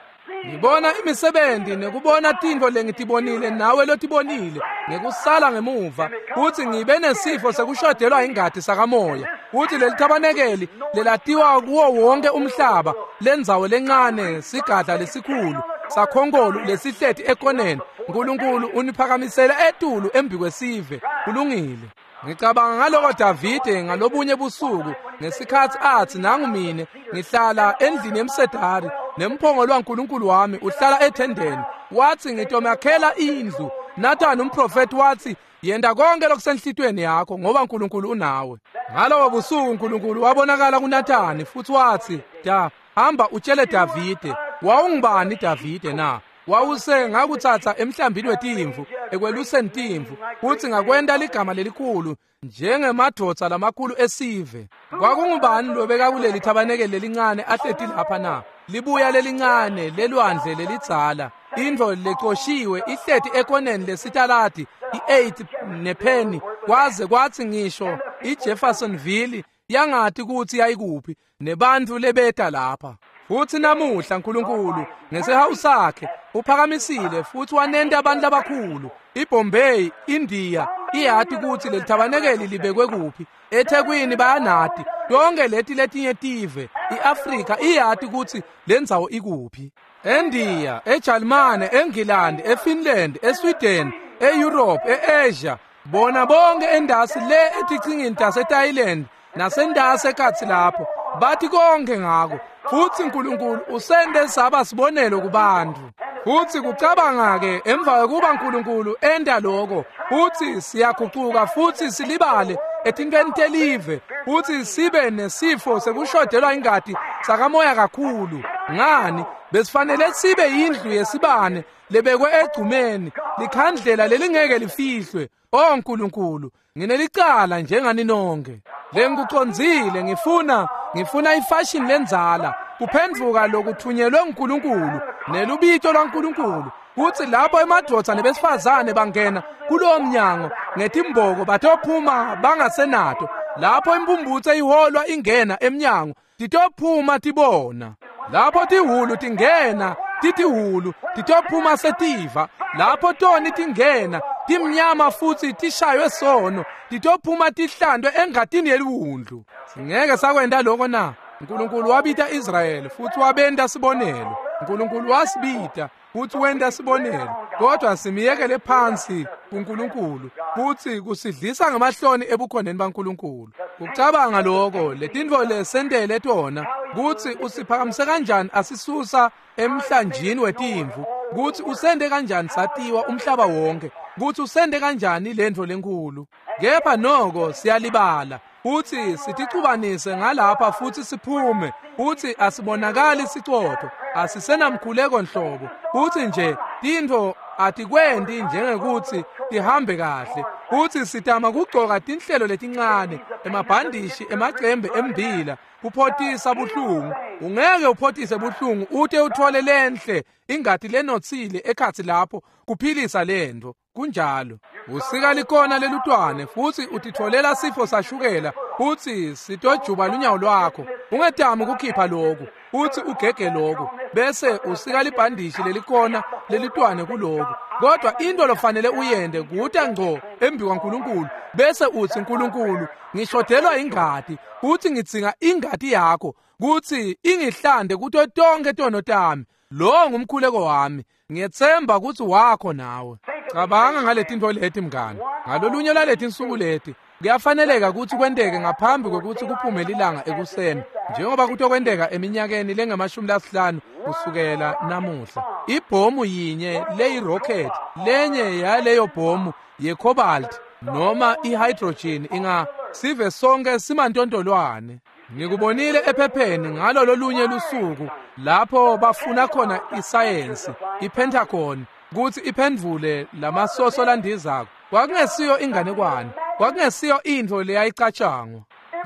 Ngibona imisebenti nekubona tintfo lengitibonile nawe lotibonile ngekusala ngemuva kutsi ngibe nesifo sekushodelwa ingati sakamoya kutsi leli thabanekeli lelatiwa kuwo wonke umhlaba lendzawo lencane sigadla lesikhulu sakhonkolo lesihleti ekoneni Nkulunkulu uniphakamisele etulu embikwesive. Kulungile. Ngicabanga ngaloko Davide ngalobunye busuku ngesikhatsi atsi nangu mine ngihlala endlini yemsedari nemphongolo waNkulunkulu wami uhlala ethendeni. Watsi ngitomakhela indlu. Nathani umprofeti watsi yenta konke lokusenhlitweni yakho ngoba uNkulunkulu unawe. Ngalobo busuku uNkulunkulu wabonakala kuNathani futhi watsi da hamba utshele Davide. Wawungubani Davide na? Wawuse ngakutsatsa emhlambini wetimvu ekweluseni timvu kutsi ngakwenta ligama lelikhulu njengemadvodza lamakhulu esive. Kwakungubani lobeka kuleli thabanekeli lelincane ahleti lapha na? Libuya lelincane lelwandle lelidzala intfo lecoshiwe ihleti ekoneni lesitaladi i-eight nepenny kwaze kwatsi ngisho iJeffersonville yangati kutsi yayikuphi nebantfu lebeta lapha. Futsi namuhla Nkulunkulu ngesihawu sakhe uphakamisile futhi wanenta abantu labakhulu. iBombay, India iyati kutsi leli thabanekeli libekwe kuphi. eThekwini bayanati. Yonke leti letinye tive, iAfrika iyati kutsi lendzawo ikuphi. eNdiya, eJalimane, eNgilandi, eFinland, eSweden, eEurope, eAsia, bona bonke endasi le etichingini taseThailand nasendasi ekhatsi lapho bathi konke ngako. Futsi Nkulunkulu usente saba sibonelo kubantu. Futsi kucabanga-ke emva kwekuba Nkulunkulu enta loko futsi siyagucuka futsi silibale etintfweni telive futsi sibe nesifo sekushodelwa ingati sakamoya kakhulu. Ngani besifanele sibe yindlu yesibane lebekwe egcumeni likhandlela lelingeke lifihlwe. O Nkulunkulu, nginelicala njengani nonke. Lengikucondzile ngifuna ngifuna ifashion lendzala kuphendvuka lokuthunyelwe nguNkulunkulu nelubito lwaNkulunkulu kutsi lapho emadvodza nebesifazane bangena kulowo mnyango ngetimboko batophuma bangasenato. Lapho impumbutse iholwa ingena emnyango titophuma tibona. Lapho tihulu tingena titihulu titophuma setiva. Lapho toni tingena timnyama futsi tishaywe sono titophuma tihlandwe engatini yeliwundlu. Singeke sakwenta lokho na? Nkulunkulu wabita Israyeli futsi wabenta sibonelo. Nkulunkulu wasibita futsi wenta sibonelo, kodwa simiyekele phansi kuNkulunkulu futsi kusidlisa ngamahloni ebukhoneni baNkulunkulu. Kucabanga lokho letintfo lesentele tona kutsi usiphakamise kanjani asisusa emhlanjini wetimvu, kutsi usente kanjani satiwa umhlaba wonke, kutsi usente kanjani lentfo lenkulu. Kepha noko siyalibala futsi siticubanise ngalapha futsi siphume futsi asibonakali sicotho, asisenamkhuleko nhlobo, futsi nje tintfo atikwenti njengekutsi tihambe kahle. Futsi sitama kugcoka tinhlelo letincane, emabhandishi, emacembe embila, kuphotisa buhlungu. Ungeke uphotise buhlungu ute uthole lenhle ingati lenotsile ekhatsi lapho kuphilisa lentfo. Kunjalo. Usika likona lelutwane futsi utitfolela sifo sashukela futsi sitojuba lunyawo lwakho. Ungetami kukhipha loku futsi ugege loku bese usika libhandishi lelikona lelutwane kuloku. Kodwa into lofanele uyende kuta ngco embi kwaNkulunkulu bese utsi Nkulunkulu ngishodelwa ingati futsi ngidzinga ingati yakho kutsi ingihlande kuto tonke tono tami. Lo ngumkhuleko wami. Ngiyetsemba kutsi wakho nawe. Cabanga ngaletintfo leti mngani. Ngalolunye lwaletinsuku leti kuyafaneleka kutsi kwenteke ngaphambi kwekutsi kuphume lilanga ekuseni, njengoba kutokwenteka eminyakeni lengamashumi lasihlanu kusukela namuhla. Ibhomu yinye leyi-rocket, lenye yaleyo bhomu ye-cobalt noma i-hydrogen inga sive sonke simantontolwane. Ngikubonile ephepheni ngalo lolunye lusuku lapho bafuna khona isayensi iPentagon kutsi iphendvule lamasoso landizako. Kwakungesiyo inganekwane, kwakungesiyo intfo leyayicatshangwa,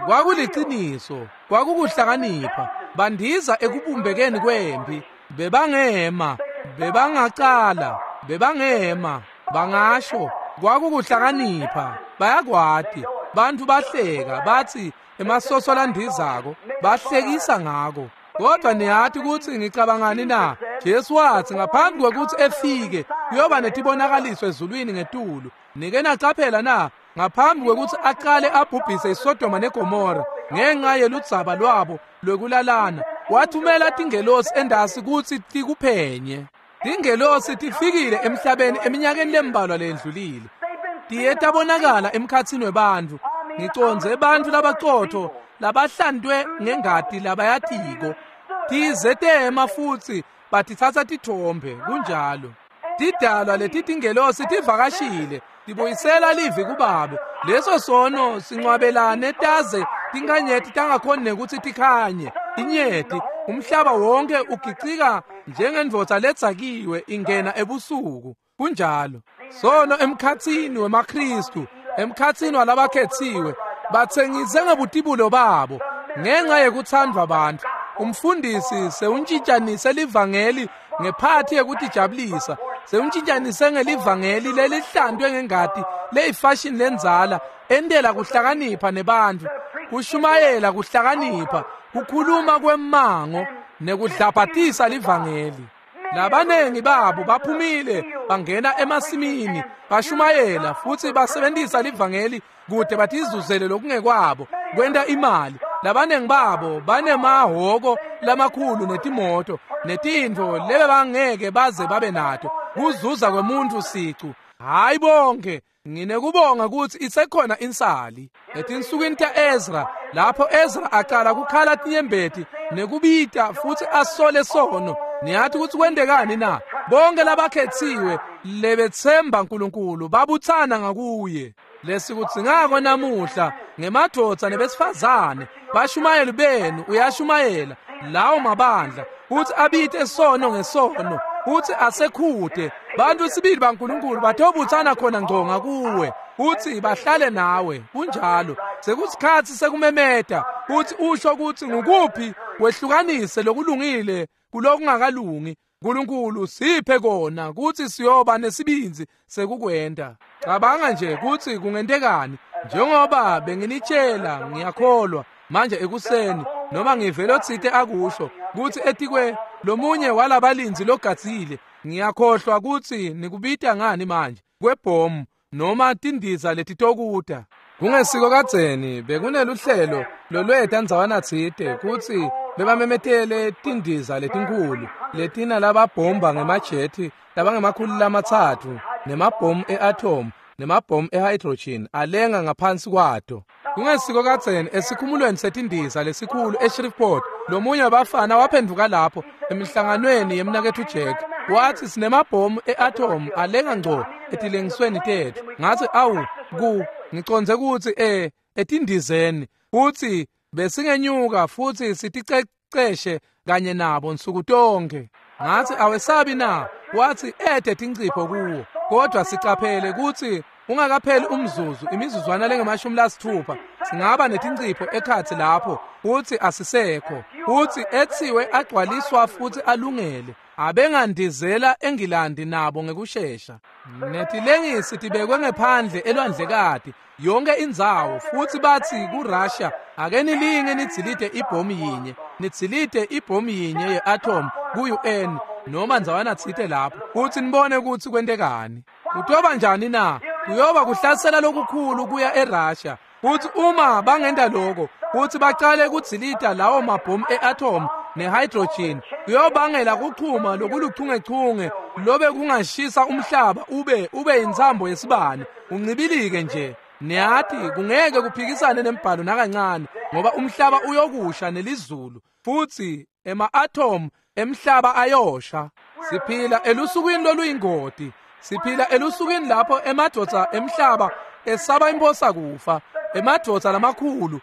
kwakuliciniso, kwakukuhlakanipha. Bandiza ekubumbekeni kwempi, bebangema, bebangacala, bebangema, bangasho, kwakukuhlakanipha. Bayakwati. Bantfu bahleka batsi emasoso landizako, bahlekisa ngako. Kodwa niyathi kutsi ngicabangani na? Jesu watsi ngaphambi kwekutsi efike kuyoba netibonakaliso ezulwini ngetulu. Nike nacaphela na? Ngaphambi kwekutsi aqale abhubhise iSodoma neGomora ngenxa yeludzaba lwabo lwekulalana, wathumela tingelosi endasi kutsi tikuphenye. Tingelosi tifikile emhlabeni eminyakeni lembalwa lendlulile. Tiye tabonakala emkhatsini webantfu. Ngicondze bantfu labaqotho labahlantwe ngengati labayatiko. Tize tema futsi batitsatsa tithombe kunjalo. Tidalwa letitingelosi tivakashile tibuyisela livi kubabe. Leso sono sincwabelane taze tinkanyeti tangakhoni nekutsi tikhanye. Inyeti umhlaba wonke ugicika njengendvodza letsakiwe ingena ebusuku. Kunjalo. Sono emkhatsini wemaKhristu, emkhatsini walabakhetsiwe, batsengise ngebutibulo babo ngenxa yekuthandwa bantfu. Umfundisi sewuntshintshanise livangeli ngephathi yekutijabulisa, sewuntshintshanise ngelivangeli lelihlantwe ngengati leyifashini lendzala entela kuhlakanipha nebantfu, kushumayela kuhlakanipha, kukhuluma kwemmango nekudlabhatisa livangeli. Labanengi babo baphumile bangena emasimini bashumayela futsi basebentisa livangeli kute batizuzele lokungekwabo kwenta imali. Labanengi babo banemahhoko lamakhulu netimoto netintfo lebebangeke baze babe nato kuzuza kwemuntfu sicu. Hayi bonke, nginekubonga kutsi isekhona insali. Etinsukwini ta-Ezra, lapho Ezra aqala kukhala tinyembeti nekubita futsi asole sono, niyathi kutsi kwentekani na? Bonke labakhetsiwe lebetsemba Nkulunkulu babutsana ngakuye. Lesikudzingako namuhla ngemadvodza nebesifazane, bashumayeli benu uyashumayela lawo mabandla kutsi abite sono ngesono, kutsi asekhute bantfu sibili baNkulunkulu batobutsana khona ngco ngakuwe kutsi bahlale nawe. Kunjalo. Sekusikhatsi sekumemeta kutsi usho kutsi ngukuphi wehlukanise lokulungile kulokungakalungi. Nkulunkulu siphe kona kutsi siyoba nesibindzi sekukwenta. Cabanga nje kutsi kungentekani. Njengoba benginitshela, ngiyakholwa manje ekuseni noma ngivele otsite akusho kutsi etikwe lomunye walabalindzi logadzile, ngiyakhohlwa kutsi nikubita ngani manje, kwebhomu noma tindiza letitokuta. Kungesiko kadzeni bekuneluhlelo lolweta ndzawana tsite kutsi bebamemetele tindiza letinkhulu letina lababhomba ngemajethi labangemakhulu lamatsatfu nemabhomu e-atom nemabhomu e-hydrogen alenga ngaphansi kwato. Kungesiko kadzeni esikhumulweni setindiza lesikhulu eShreveport, lomunye wabafana waphenduka lapho emihlanganweni yemnaketfu Jack wathi sinemabhomu e-atom alenga ngco etilengisweni tetfu. Ngathi awu ku ngicondze kutsi eh etindizeni futsi besingenyuka futsi siticeceshe kanye nabo nsuku tonke. Ngathi awesabi na? Wathi ede tincipho kuwo, kodwa sicaphele kutsi ungakapheli umzuzu imizuzwana lengemashumi lasithupha singaba netincipho ekhatsi lapho futsi asisekho. Futsi etsiwe agcwaliswa futsi alungele abengandizela eNgilandi nabo ngekushesha. Netilengisi tibekwe ngephandle elwandlekati yonke indzawo futsi batsi kuRussia ake nilinge nidzilite ibhomu yinye, nidzilite ibhomu yinye ye-atom ku-U N noma ndzawana tsite lapho futsi nibone kutsi kwentekani. Kutoba njani na? Kuyoba kuhlasela lokukhulu kuya eRussia. Futsi uma bangenta lokho futsi bacale kudzilita lawo mabhomu e-atom ne-hydrogen, kuyobangela kuchuma lokuluchungechunge lobe kungashisa umhlaba ube ube intsambo yesibane uncibilike nje. Niyathi kungeke kuphikisane nembhalo nakancane, ngoba umhlaba uyokusha nelizulu futsi ema-atom emhlaba ayosha. Siphila elusukwini loluyingoti. Siphila elusukwini lapho emadvodza emhlaba esaba imphosa kufa. Emadvodza lamakhulu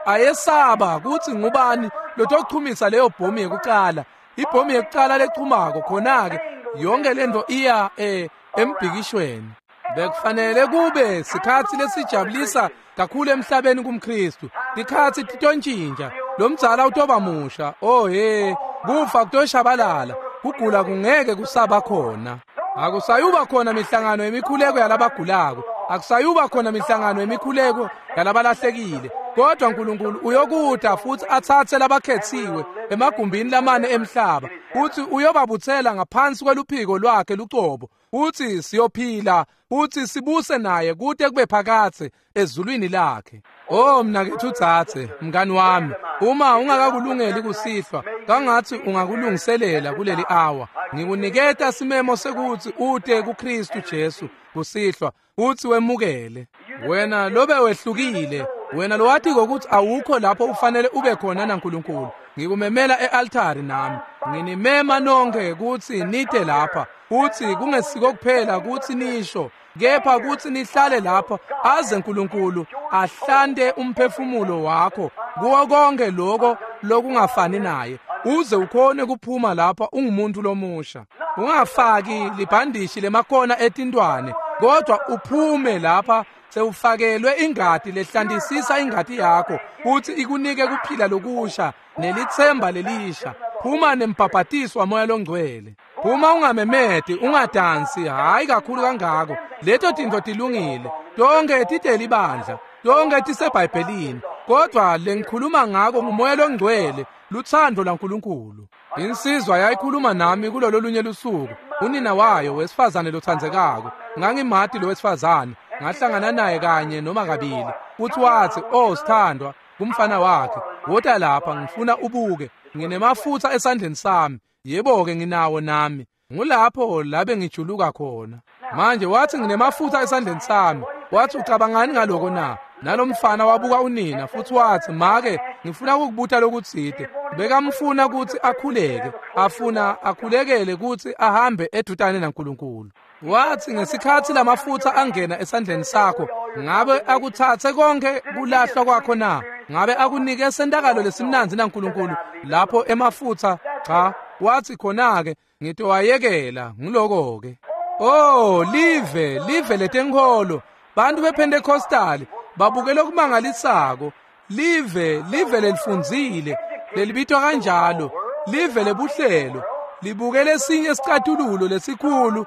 ayesaba kutsi ngubani lotochumisa leyo bhomu yekucala. Ibhomu yekucala lechumako khona-ke yonke lento iya eh, embhikishweni. Bekufanele kube sikhatsi lesijabulisa kakhulu emhlabeni kumKhristu. Tikhatsi titontshintsha, lomdzala utoba musha. Oh he, kufa kutoshabalala, kugula kungeke kusaba khona. Akusayuba khona mihlangano yemikhuleko yalabagulako, akusayuba khona mihlangano yemikhuleko yalabalahlekile, Kodwa Nkulunkulu uyokuta futhi atsatse labakhetsiwe emagumbini lamane emhlaba, futhi uyobabutsela ngaphansi kweluphiko lwakhe lucobo, futhi siyophila futhi sibuse naye kute kube phakathe ezulwini lakhe. Oh mnakethu tsatse, mngani wami, uma ungakakulungeli kusihlwa, kangathi ungakulungiselela kuleli hour. Ngikuniketa simemo sekuthi ute kuKristu Jesu kusihlwa, uthi wemukele. Wena lobe wehlukile, wena lowathi ukuthi awukho lapho ufanele ube khona naNkulunkulu. Ngikumemela e-altari nami. Nginimema nonke ukuthi nite lapha, uthi kungesiko kuphela ukuthi nisho, kepha ukuthi nihlale lapha aze uNkulunkulu ahlante umphefumulo wakho kuwo konke lokho lokungafani naye, uze ukhone kuphuma lapha ungumuntu lomusha. Ungafaki libhandishi lemakona etintwane, kodwa uphume lapha sewufakelwe ingati lehlantisisa ingati yakho futhi ikunike kuphila lokusha nelithemba lelisha. Phuma nembhabhatiso waMoya loNgcwele. Phuma ungamemedi, ungadansi, hayi kakhulu kangako. Leto tintfo tilungile, tonke titeli ibandla, tonke tiseBhayibhelini, kodwa lengikhuluma ngako nguMoya loNgcwele, luthando laNkulunkulu. Insizwa yayikhuluma nami kulolo lunye lusuku, unina wayo wesifazane lothandzekako. Ngangimati lo wesifazane, ngahlangana naye kanye noma kabili. Futhi wathi, "Oh sithandwa, kumfana wakhe, wota lapha ngifuna ubuke, nginemafutha esandleni sami." Yebo-ke nginawo nami. Ngulapho labe ngijuluka khona. Manje wathi nginemafutha esandleni sami. Wathi ucabangani ngaloko na? Nalomfana wabuka unina futhi wathi, "Make, ngifuna ukukubuta lokutsite." Bekamfuna ukuthi akhuleke, afuna akhulekele ukuthi ahambe edutane naNkulunkulu. Wathi ngesikhathi lamafutha angena esandleni sakho, ngabe akuthathe konke kulahlwa kwakho na? Ngabe akunike sentakalo lesimnanzi naNkulunkulu lapho emafutha? Cha. Wathi khona-ke ngitowayekela ngiloko-ke. Oh, live, live letenkholo, bantu bePentecostal babukele okumangalisako. Live, live lelifundzile, lelibitwa kanjalo, live lebuhlelo, libukele esinye isicatululo lesikhulu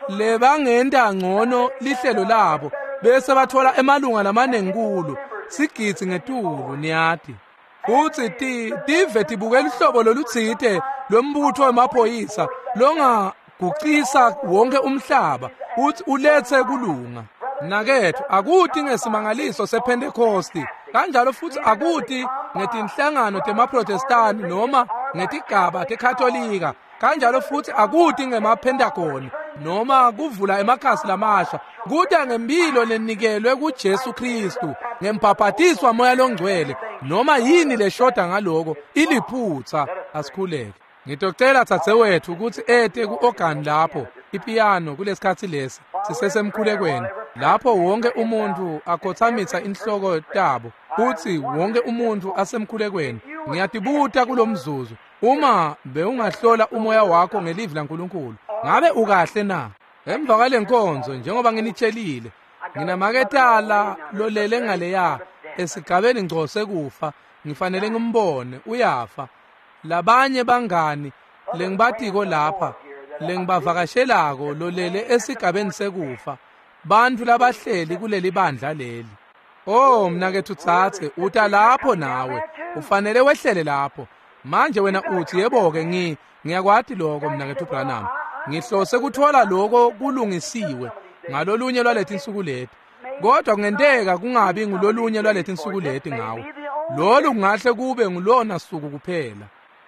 lebangenta ngcono lihlelo labo, bese bathola emalunga lamanengi kulo, sigidzi ngetulu niyati. Futhi ti tive tibukela uhlobo lolutsite lwembutho wemaphoyisa longagucisa wonke umhlaba uthi uletse kulunga. Nakethu akuti ngesimangaliso sePentecosti, kanjalo futhi akuti ngetinhlangano temaProtestani noma ngetigaba teKatolika, kanjalo futhi akuti ngemaPentagoni noma kuvula emakhasi lamasha. Kuta ngempilo lenikelwe kuJesu Kristu ngembhabhatiso waMoya loNgcwele. Noma yini leshoda ngaloko iliphutha. Asikhuleke. Ngitocela dzadzewethu ukuthi ete ku-organ lapho ipiyano kulesikhatsi lesi sisesemkhulekweni, lapho wonke umuntu akhothamisa inhloko tabo futhi wonke umuntu asemkhulekweni. Ngiyatibuta kulomzuzu, uma bewungahlola umoya wakho ngelivi laNkulunkulu, ngabe ukahle na? Emva kwale nkonzo, njengoba nginitshelile, nginamaketala lolele ngaleya esigabeni ngco sekufa, ngifanele ngimbone uyafa. Labanye bangani lengibatiko lapha lengibavakashelako lolele esigabeni sekufa, bantu labahleli kuleli bandla leli. Oh mnakethu tsatse, uta lapho nawe, ufanele wehlele lapho. Manje wena uthi, yebo-ke ngi ngiyakwati lokho mnakethu Branham, ngihlose kuthola lokho kulungisiwe ngalolunye lwaletinsuku leti, kodwa kungenteka kungabi ngulolunye lwaletinsuku leti ngawe. Lolu kungahle kube ngulona suku kuphela.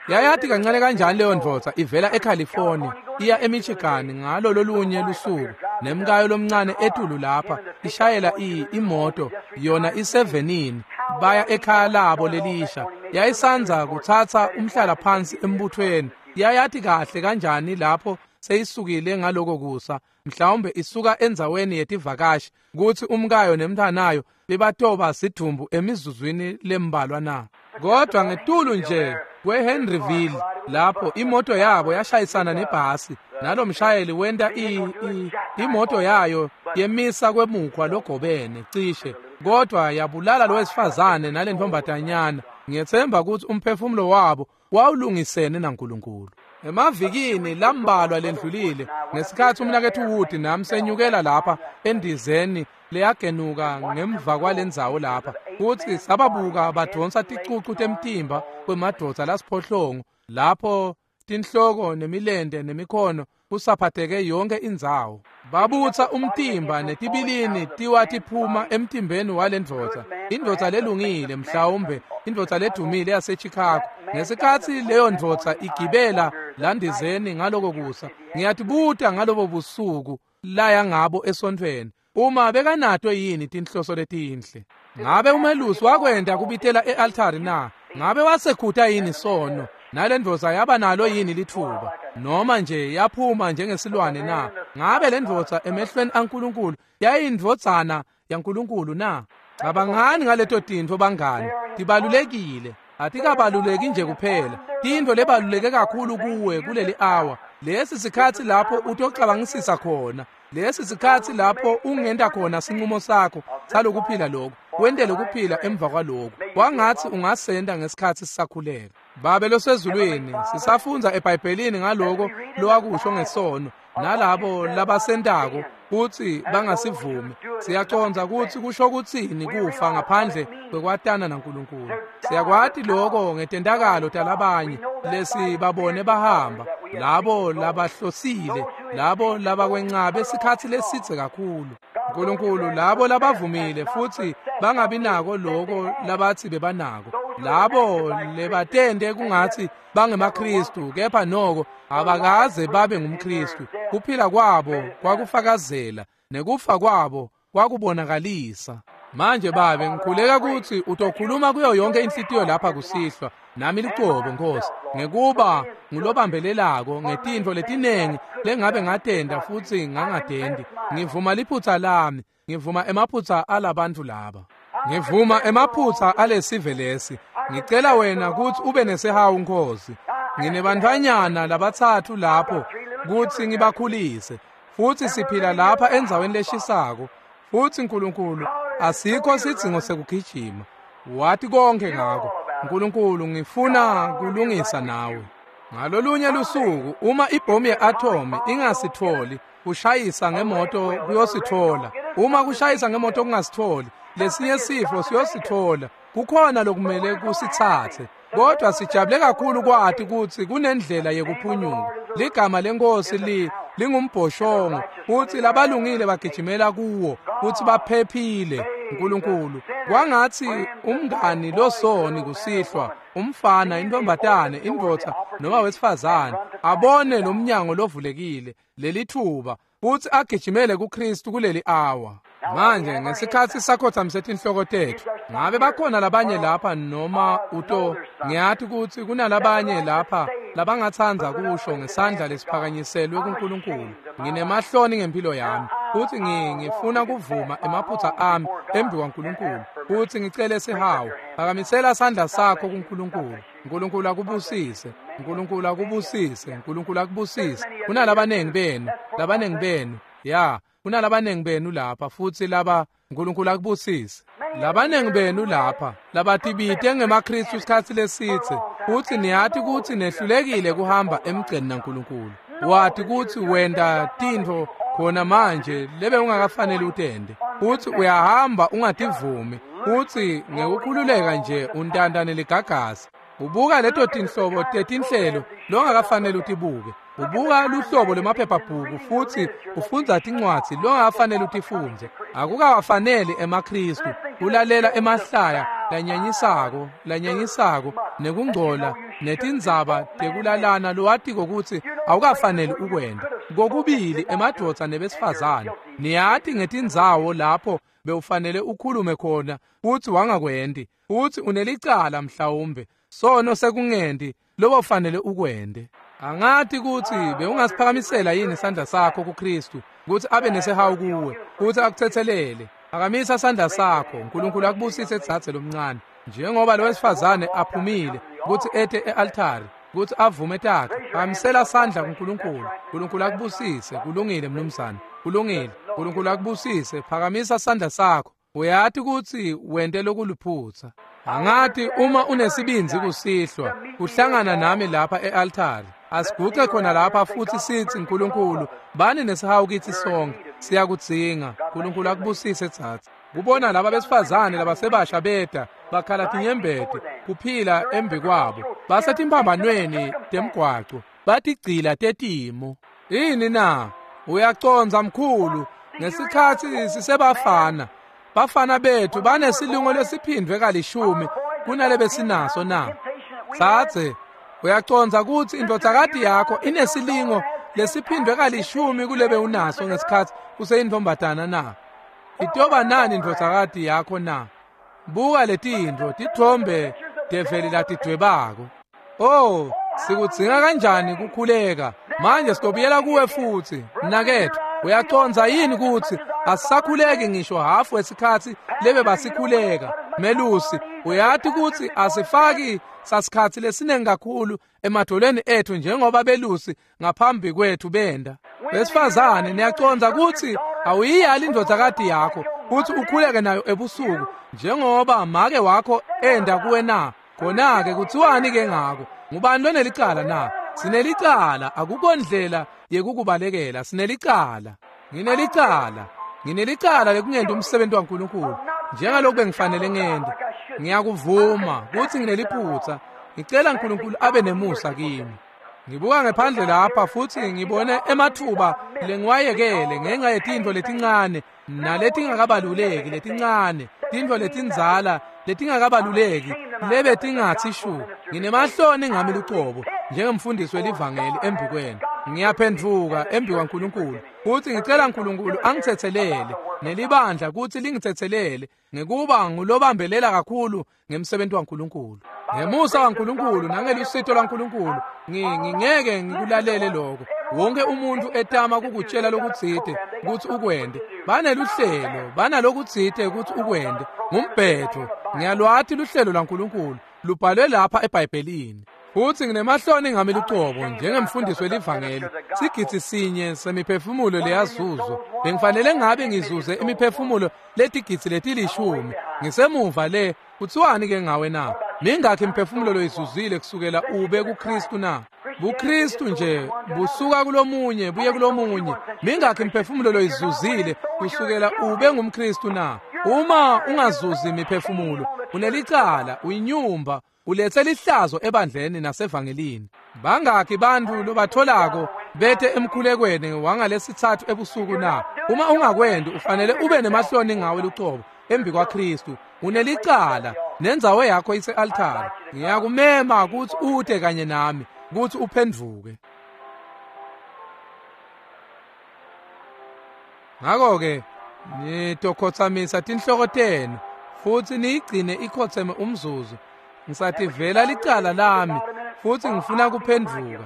Yayati kancane kanjani leyo ndvodza ivela eCalifornia iya eMichigan ngalo lolunye lusuku, nemkayo lomncane etulu lapha ishayela i imoto yona isevenini, baya ekhaya labo lelisha. Yayisanza kuthatha umhlala phansi embuthweni. Yayati kahle kanjani lapho seyisukile ngaloko kusa, mhlawumbe isuka endzaweni yetivakashi, kuthi umkayo nemntanayo bebatoba sidumbu emizuzwini lembalwa na? Kodwa ngetulu nje kweHenryville lapho imoto yabo yashayisana nebhasi, nalomshayeli wenta i, i imoto yayo yemisa kwemukhwa logobene cishe, kodwa yabulala lo wesifazane nalentombazanyana. Ngiyethemba ukuthi umphefumulo wabo wawulungisene naNkulunkulu. Emavikini lambalwa lendlulile, ngesikhathi umnakethu Wood nami senyukela lapha endizeni leyagenuka ngemva kwalendzawo lapha, Futsi sababuka badonsa ticucu temtimba kwemadvodza lasiphohlongo lapho tinhloko nemilente nemikhono kusaphatheke yonke indzawo. Babutsa umtimba netibilini tiwa tiphuma emtimbeni walendvodza, indvodza lelungile mhlawumbe indvodza ledumile yaseChicago. Ngesikhatsi leyo ndvodza igibela landizeni ngaloko kusa, ngiyatibuta ngalobo busuku laya ngabo esontfweni uma bekanato yini tinhloso letinhle. Ngabe umelusi wakwenta kubitela e-altari na? Ngabe wasekhuta yini sono? Nalendvodza yaba nalo yini litfuba? Noma nje yaphuma njengesilwane na? Ngabe lendvodza emehlweni aNkulunkulu yayindvodzana yaNkulunkulu na? Cabangani ngaleto tintfo bangani, tibalulekile. Atikabaluleki nje kuphela, tintfo lebaluleke kakhulu kuwe kuleli hour. Lesi sikhatsi lapho utocabangisisa khona, lesi sikhatsi lapho ungenta khona sinqumo sakho salokuphila lokho, wentele kuphila emva kwaloko. Kwangatsi ungasenda ngesikhatsi sisakhuleka. Babe losezulwini, sisafundza eBhayibhelini ngaloko lowakusho ngesono nalabo labasentako kutsi bangasivumi. Siyacondza kutsi kusho kutsini kufa ngaphandle kwekwatana naNkulunkulu. Siyakwati lokho ngetentakalo talabanye lesibabone bahamba, labo labahlosile, labo labakwencabe sikhatsi lesidze kakhulu. Nkulunkulu, labo labavumile futsi bangabi nako loko labatsi bebanako, labo lebatende kungatsi bangemaKristu kepha noko abakaze babe ngumKristu. Kuphila kwabo kwakufakazela nekufa kwabo kwakubonakalisa. Manje Babe, ngikhuleka kutsi utokhuluma kuyo yonke inhlitiyo lapha kusihlwa, nami licobo Nkosi, ngekuba ngulobambelelako ngetintfo letinengi lengabe ngatenda futsi ngangatendi. Ngivuma liphutsa lami, ngivuma emaphutsa alabantfu laba, ngivuma emaphutsa alesive lesi. Ngicela wena kutsi ube nesihawu Nkosi. Nginebantfwanyana labatsatfu lapho kutsi ngibakhulise, futsi siphila lapha endzaweni leshisako. Futsi Nkulunkulu, asikho sidzingo sekugijima, wati konke ngako. Nkulunkulu, ngifuna kulungisa nawe. Ngalolunye lusuku uma ibhomu ye-atomi ingasitholi, kushayisa ngemoto kuyosithola. Uma kushayisa ngemoto kungasitholi, lesinye sifo siyosithola. Kukhona lokumele kusitsatse. Kodwa sijabule kakhulu kwati kutsi kunendlela yekuphunyuka. Ligama leNkosi li lingumbhoshongo, futsi labalungile bagijimela kuwo futsi baphephile. Nkulunkulu, kwangatsi umngani losoni kusihlwa, umfana, intombatane, indvodza noma wesifazane, abone lo mnyango lovulekile, lelithuba, futsi agijimele kuKristu kuleli hour. Manje ngesikhatsi sakhotsamise tinhloko tetfu, ngabe bakhona labanye lapha noma uto? Ngiyati kutsi kunalabanye lapha labangatsandza kusho ngesandla lesiphakanyiselwe kuNkulunkulu, nginemahloni ngempilo yami, futsi ngifuna kuvuma emaphutsa ami embi kwaNkulunkulu, futsi ngicele sihawu. Phakamisela sandla sakho kuNkulunkulu. Nkulunkulu akubusise, Nkulunkulu akubusise, Nkulunkulu akubusise. Kunalabanengi benu, labanengi benu, ya, kunalabanengi benu lapha futsi laba. Nkulunkulu akubusise. Labanengi benu lapha labatibite ngemaKristu sikhatsi lesidze, futsi niyati kutsi nehlulekile kuhamba emgceni naNkulunkulu. Wati kutsi wenta tintfo khona manje lebe ungakafaneli utende, futsi uyahamba ungativumi, futsi ngekukhululeka nje untantane ligagasi. Ubuka leto tinhlobo tetinhlelo longakafaneli utibuke. Ubuka luhlobo lwemaphephabhuku futsi ufundza tincwadzi longakafaneli utifundze. Akukawafaneli emaKristu kulalela emahlaya lanyanyisako, lanyanyisako nekungcola netindzaba tekulalana lowatiko kutsi awukafaneli ukwenta. Kokubili emadvodza nebesifazane. Niyati ngetindzawo lapho bewufanele ukhulume khona futsi wangakwenti, futsi unelicala mhlawumbe sono sekungendi lobofanele ukwente. Angati kutsi bewungasiphakamisela yini isandla sakho kuKristu kutsi abe nesihawu kuwe, kutsi akutsetselele. Phakamisa sandla sakho. Nkulunkulu akubusise dzadze lomncane, njengoba lo wesifazane aphumile kutsi ete e-altari kutsi avume takhe. Phakamisela sandla kuNkulunkulu. Nkulunkulu akubusise. Kulungile mnumzane, kulungile. Nkulunkulu akubusise. Phakamisa sandla sakho. Uyati kutsi wente lokuliphutsa. Angati uma unesibindzi kusihlwa kuhlangana nami lapha e-altari. Asiguce khona lapha futsi sitsi, Nkulunkulu, bani nesihawu kitsi sonke, siyakudzinga. Nkulunkulu akubusise dzadze. Kubona laba besifazane labasebasha beta bakhala tinyembeti kuphila embi kwabo basetimphambanweni temgwaco batigcila tetimo. Yini na? Uyaconza mkhulu ngesikhatsi sisebafana. Bafana bethu banesilungo lesiphindwe kalishumi kunale besinaso na. Tsatse, uyaconza kutsi indvodzakati yakho inesilingo lesiphindwe kalishumi kulebe unaso ngesikhatsi useyintombatana na? Itoba nani indvodzakati yakho na? Buka letintfo tithombe develi latidwebako. Oh, sikudzinga kanjani kukhuleka. Manje sitobuyela kuwe futsi mnaketfu. Uyaconza yini kutsi asisakhuleki ngisho hafu wesikhatsi lebe basikhuleka? Melusi, uyati kutsi asifaki sasikhatsi lesinengi kakhulu emadolweni ethu njengoba belusi ngaphambi kwethu benda. Besifazane, niyaconza kutsi awuyiyali indvodzakati yakho kutsi ukhuleke nayo ebusuku njengoba make wakho enda kuwe na? Khona-ke kutsiwani ke ngako? Ngubani lonelicala na? Sinelicala, akukho ndlela yekukubalekela. Sinelicala. Nginelicala. Nginelicala lekungenti umsebenzi waNkulunkulu njengalokhu bengifanele ngente. Ngiyakuvuma kutsi ngineliphutsa. Ngicela uNkulunkulu abe nemusa kimi. Ngibuka ngephandle lapha futsi ngibone emathuba lengiwayekele ngenxa yetintfo letincane naletingakabaluleki letincane, tintfo letindzala letingakabaluleki lebe tingatsi shu. Nginemahloni ngami lucobo njengemfundisi welivangeli embi kwenu. Ngiyaphendvuka embi kwaNkulunkulu futsi ngicela uNkulunkulu angitsetselele nelibandla kutsi lingitsetselele ngekuba ngulobambelela kakhulu ngemsebenzi waNkulunkulu. Ngemusa waNkulunkulu nangelusito lwaNkulunkulu ngingeke ngikulalele lokho. Wonke umuntu etama kukutshela lokutsite kutsi ukwente. Baneluhlelo, banalokutsite kutsi ukwente. Ngumbhetho. Ngiyalwati luhlelo lwaNkulunkulu lubhalwe lapha eBhayibhelini. Futsi nginemahloni ngami lucobo njengemfundisi welivangeli. Sigidzi sinye semiphefumulo leyazuzwa. Bengifanele ngabe ngizuze imiphefumulo letigidzi letilishumi. Ngisemuva le, kutsiwani ke ngawe na? Mingakhi imiphefumulo loyizuzile kusukela ube kuKristu na? BuKristu nje busuka kulomunye buye kulomunye. Mingakhi imiphefumulo loyizuzile kusukela ube ngumKristu na? Uma ungazuzi imiphefumulo, unelicala, uyinyumba, ulethe lihlazo ebandleni nasevangelini. Bangakhi bantfu lobatholako bete emkhulekweni wangalesithathu ebusuku na? Uma ungakwendi ufanele ube nemahloni ngawe lucobo embi kwaKristu. Unelicala nendzawo yakho ise-altare. Ngiyakumema kutsi ute kanye nami kutsi uphendvuke. Ngakho-ke nitokhotsamisa tinhloko tenu futsi niyigcine ikhotseme umzuzu. Ngisativela licala lami futsi ngifuna kuphendvuka.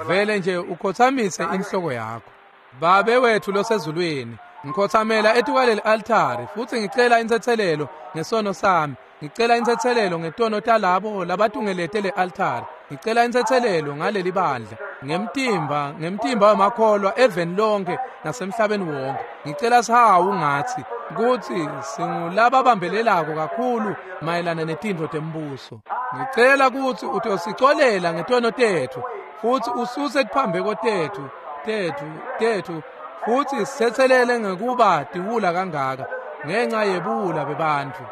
Vele nje ukhotsamise inhloko yakho. Babe wethu losezulwini, ngikhotsamela etukwaleli altare futsi ngicela intsetselelo ngesono sami. Ngicela intsetselelo ngetono talabo labatungelete le altare. Ngicela intsetselelo ngaleli bandla, ngemtimba, ngemtimba wemakholwa eveni lonke nasemhlabeni wonke. Ngicela sihawu ngatsi kutsi singulababambelelako kakhulu mayelana netintfo tembuso. Ngicela kutsi utosicolela ngetono tetfu futsi ususe tiphambeko tetfu tetfu tetfu futsi sitsetselele ngekuba tiwula kangaka ngenxa yebuwula bebantfu.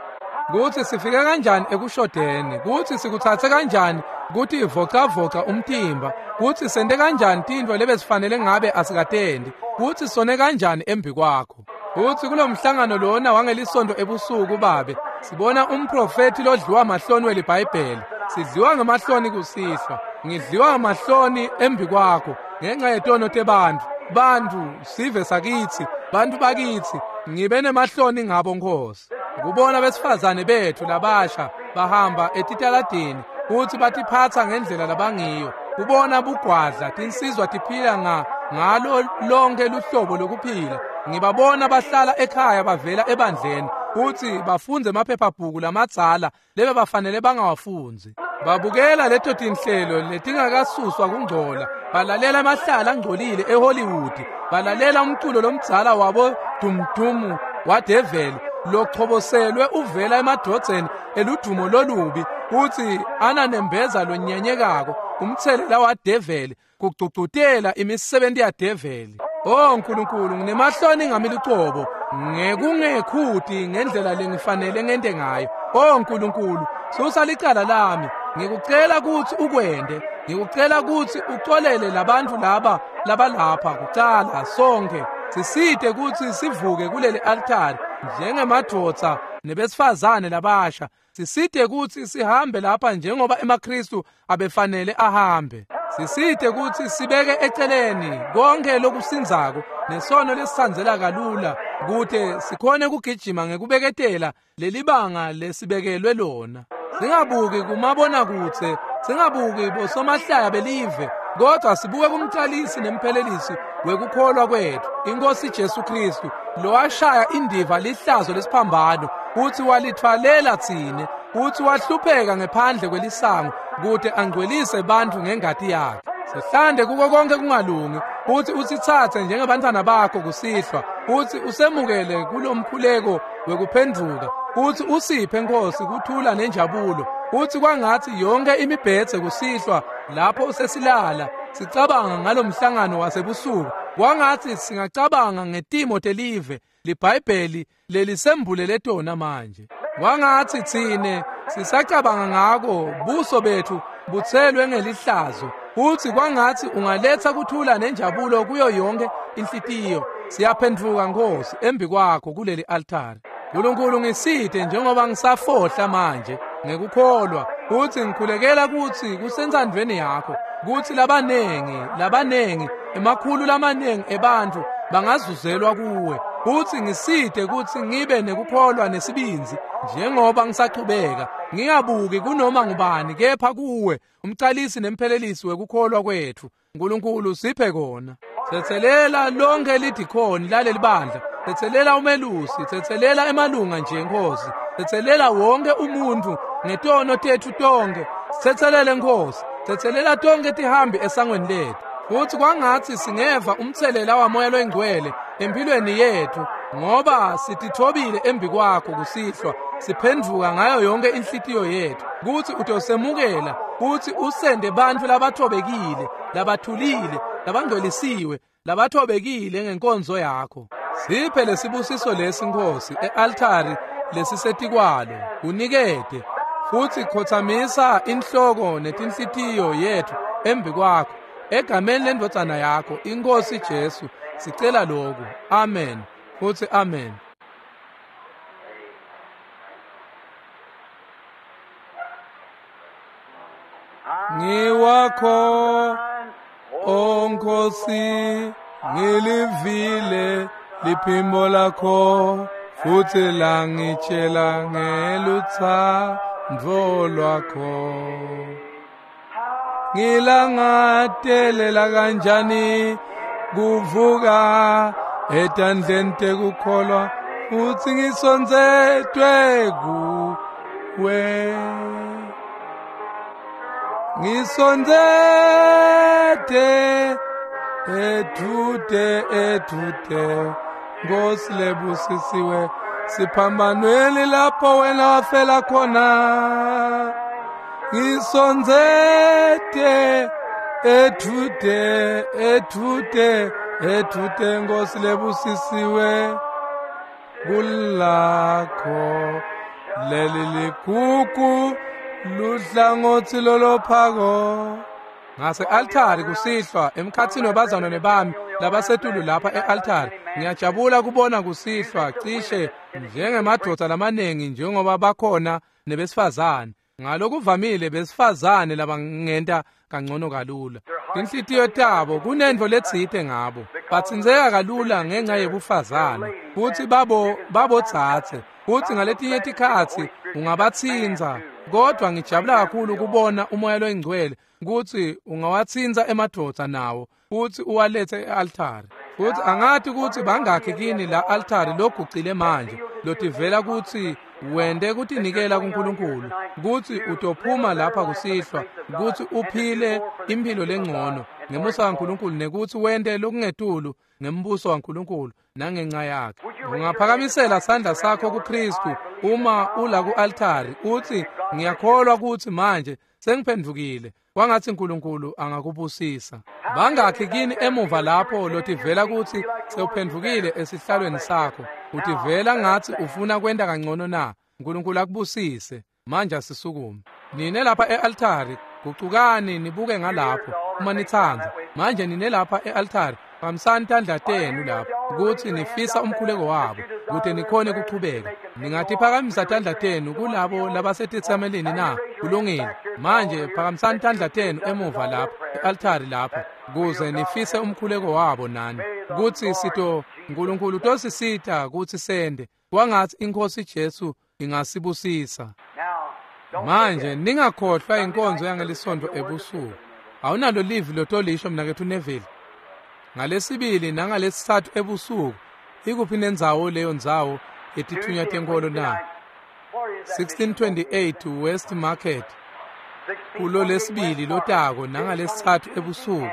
Kutsi sifike kanjani ekushodeni, kutsi sikutsatse kanjani kuthi ivocavoca umtimba, kutsi sente kanjani tintfo lebesifanele ngabe asikatendi, kutsi sone kanjani embi kwakho. Kutsi kulomhlangano lona wangelisonto ebusuku babe sibona umprofethi lodliwa mahloni weliBhayibheli. Sidliwa ngemahloni kusihlwa. Ngidliwa ngamahloni embi kwakho ngenxa yetono tebantfu. Bantfu sive sakitsi, bantfu bakitsi, ngibe nemahloni ngabo Nkosi. Kubona besifazane bethu labasha bahamba etitaladini kutsi batiphatsa ngendlela labangiyo. Kubona bugwadla tinsizwa tiphila nga ngalo lonke luhlobo lokuphila. Ngibabona bahlala ekhaya bavela ebandleni kutsi bafundze emaphephabhuku lamadzala lebe bafanele bangawafundzi. Babukela leto tinhlelo letingakasuswa kungcola, balalela amahlala angcolile eHollywood, balalela umculo lomdzala wabo dumdumu wadeveli lochoboselwe uvela emadvodzeni eludumo lolubi kutsi ananembeza lonyenyekako, umthelela wadeveli, kugcugcutela imisebenti yadeveli. O Nkulunkulu, nginemahloni ngami lucobo ngekungekhuti ngendlela lengifanele ngente ngayo. O Nkulunkulu, susa licala lami. Ngikucela kutsi ukwente. Ngikucela kutsi uxolele labantfu laba labalapha kucala sonke. Sisite kutsi sivuke kuleli altari njengemadvodza nebesifazane labasha. Sisite kutsi sihambe lapha njengoba emaKristu abefanele ahambe. Sisite kutsi sibeke eceleni konke lokusindzako nesono lesitsandzela kalula kute sikhone kugijima ngekubeketela lelibanga lesibekelwe lona. Singabuki kumabonakudze, singabuki bosomahlaya belive, kodwa sibuke kumcalisi nemphelelisi wekukholwa kwetfu, iNkosi Jesu Kristu, lowashaya indiva lihlazo lesiphambano, kutsi walithwalela tsine, kutsi wahlupheka ngephandle kwelisango kute angcwelise bantfu ngengati yakhe. Sihlande kuko konke kungalungi, kutsi usitsatse njengebantfwana bakho kusihlwa, kutsi usemukele kulomkhuleko wekuphendvuka, kutsi usiphe Nkosi kuthula nenjabulo, kutsi kwangatsi yonke imibhedze kusihlwa lapho sesilala sicabanga ngalomhlangano wasebusuku, kwangatsi singacabanga ngetimo telive liBhayibheli lelisembulele tona manje. Kwangatsi tsine sisacabanga ngako buso bethu butselwe ngelihlazo, kutsi kwangatsi ungaletsa kuthula nenjabulo kuyo yonke inhlitiyo. Siyaphendvuka Nkosi embi kwakho kuleli altari. Nkulunkulu, ngisite njengoba ngisafohla manje ngekukholwa, kutsi ngikhulekela kutsi kusentsandvweni yakho kutsi labanengi labanengi emakhulu lamanengi ebantfu bangazuzelwa kuwe, kutsi ngisite kutsi ngibe nekukholwa nesibindzi njengoba ngisachubeka, ngingabuki kunoma ngubani kepha kuwe, umcalisi nemphelelisi wekukholwa kwetfu. Nkulunkulu, siphe kona. Tsetselela lonke lidikhoni laleli bandla, tsetselela umelusi, tsetselela emalunga nje Nkosi, tsetselela wonke umuntu ngetono tetfu tonke. Tsetselele Nkosi, tsetselela tonke tihambi esangweni letfu, futsi kwangatsi singeva umtselela waMoya loyiNgcwele empilweni yetfu, ngoba sitithobile embi kwakho kusihlwa, siphendvuka ngayo yonke inhlitiyo yetfu, kutsi utosemukela, kutsi usende bantfu labathobekile, labathulile, labangcwelisiwe, labathobekile ngenkonzo yakho. Siphe lesibusiso lesi Nkosi e-altari lesisetikwalo, unikete, futsi khotsamisa inhloko netinhlitiyo yetfu embi kwakho. Egameni lendvodzana yakho, iNkosi Jesu, sicela lokhu. Amen. Futsi amen. Ngiwakho, O Nkosi, ngilivile liphimbo lakho, futsi langitshela ngelutsandvo lwakho. Ngilangatelela kanjani kuvuka etandleni tekukholwa, futsi ngisondzetwe kuwe. Ngisondzete edvute edvute, Nkosi lebusisiwe, siphambanweni lapho wena wafela khona. Ngisondzete edvute edvute edvute, Nkosi lebusisiwe, kulakho leli ligugu luhlangotsi lolophako. Ngase-altari kusihlwa emkhatsini webazalwane bami labasetulu lapha e-altari, ngiyajabula kubona kusihlwa cishe njengemadvodza lamanengi njengoba bakhona nebesifazane. Ngalokuvamile besifazane labangenta kangcono kalula. Tinhlitiyo tabo kunentfo letsite ngabo, batsintseka kalula ngenca yebufazane, futsi babo babotsatse, futsi ngaletinye tikhatsi ungabatsintsa. Kodwa ngijabula kakhulu kubona uMoya loyiNgcwele kutsi ungawatsintsa emadvodza nawo futsi uwalethe e-altari. Futsi angati kutsi bangakhi kini la altari logucile manje, lotivela kutsi wente kutinikela kuNkulunkulu, kutsi utophuma lapha kusihlwa, kutsi uphile imphilo lengcono ngemusa waNkulunkulu, nekutsi wente lokungetulu ngembuso waNkulunkulu nangenca yakhe. Ungaphakamisela sandla sakho kuKristu uma ula ku-altari utsi, ngiyakholwa kutsi manje sengiphendvukile. Kwangatsi Nkulunkulu angakubusisa. Bangakhi kini emuva lapho lotivela kutsi sewuphendvukile esihlalweni sakho, utivela ngatsi ufuna kwenta kangcono na? Nkulunkulu akubusise. Manje asisukume. Nine lapha e-altari, gucukani nibuke ngalapho uma nitsandza. Manje nine lapha e-altari, phakamisani tandla tenu lapho kutsi nifisa umkhuleko wabo kute nikhone kuchubeka. Ningatiphakamisa tandla tenu kulabo labasetitsamelini na? Kulungile. Manje phakamisani tandla tenu emuva lapho e-altari lapho kuze nifise umkhuleko wabo nani kutsi sito Nkulunkulu tosisita kutsi sende kwangatsi iNkhosi Jesu ingasibusisa. Manje ningakhohlwa inkonzo yangelisonto ebusuku. Awunalo livi lotolisho mnaketfu Neville. Ngalesibili nangalesitsatfu ebusuku ikuphi nendzawo leyo ndzawo yetithunywa tenkolo na? sixteen twenty-eight West Market kulo lesibili lotako nangalesitsatfu ebusuku.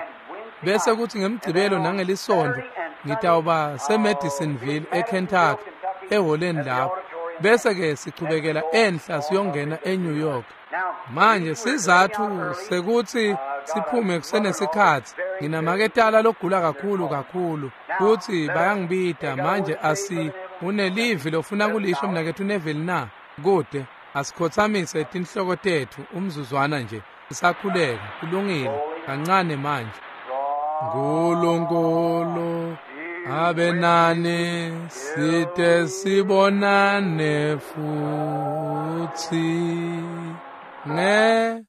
Bese kuthi ngemgcibelo nangelisonto ngitawuba seMadisonville eKentucky eholeni lapho. Bese ke sichubekela enhla siyongena eNew York. Manje sizathu sekuthi siphume kusenesikhatsi, nginamaketala logula kakhulu kakhulu kutsi bayangibita. Manje asi unelivi lofuna kulisho mnaketfu Neville na? Kude asikhothamise tinhloko tetfu umzuzwana nje sisakhuleka. Kulungile, kancane manje. Nkulunkulu abe nani site sibonane futsi nge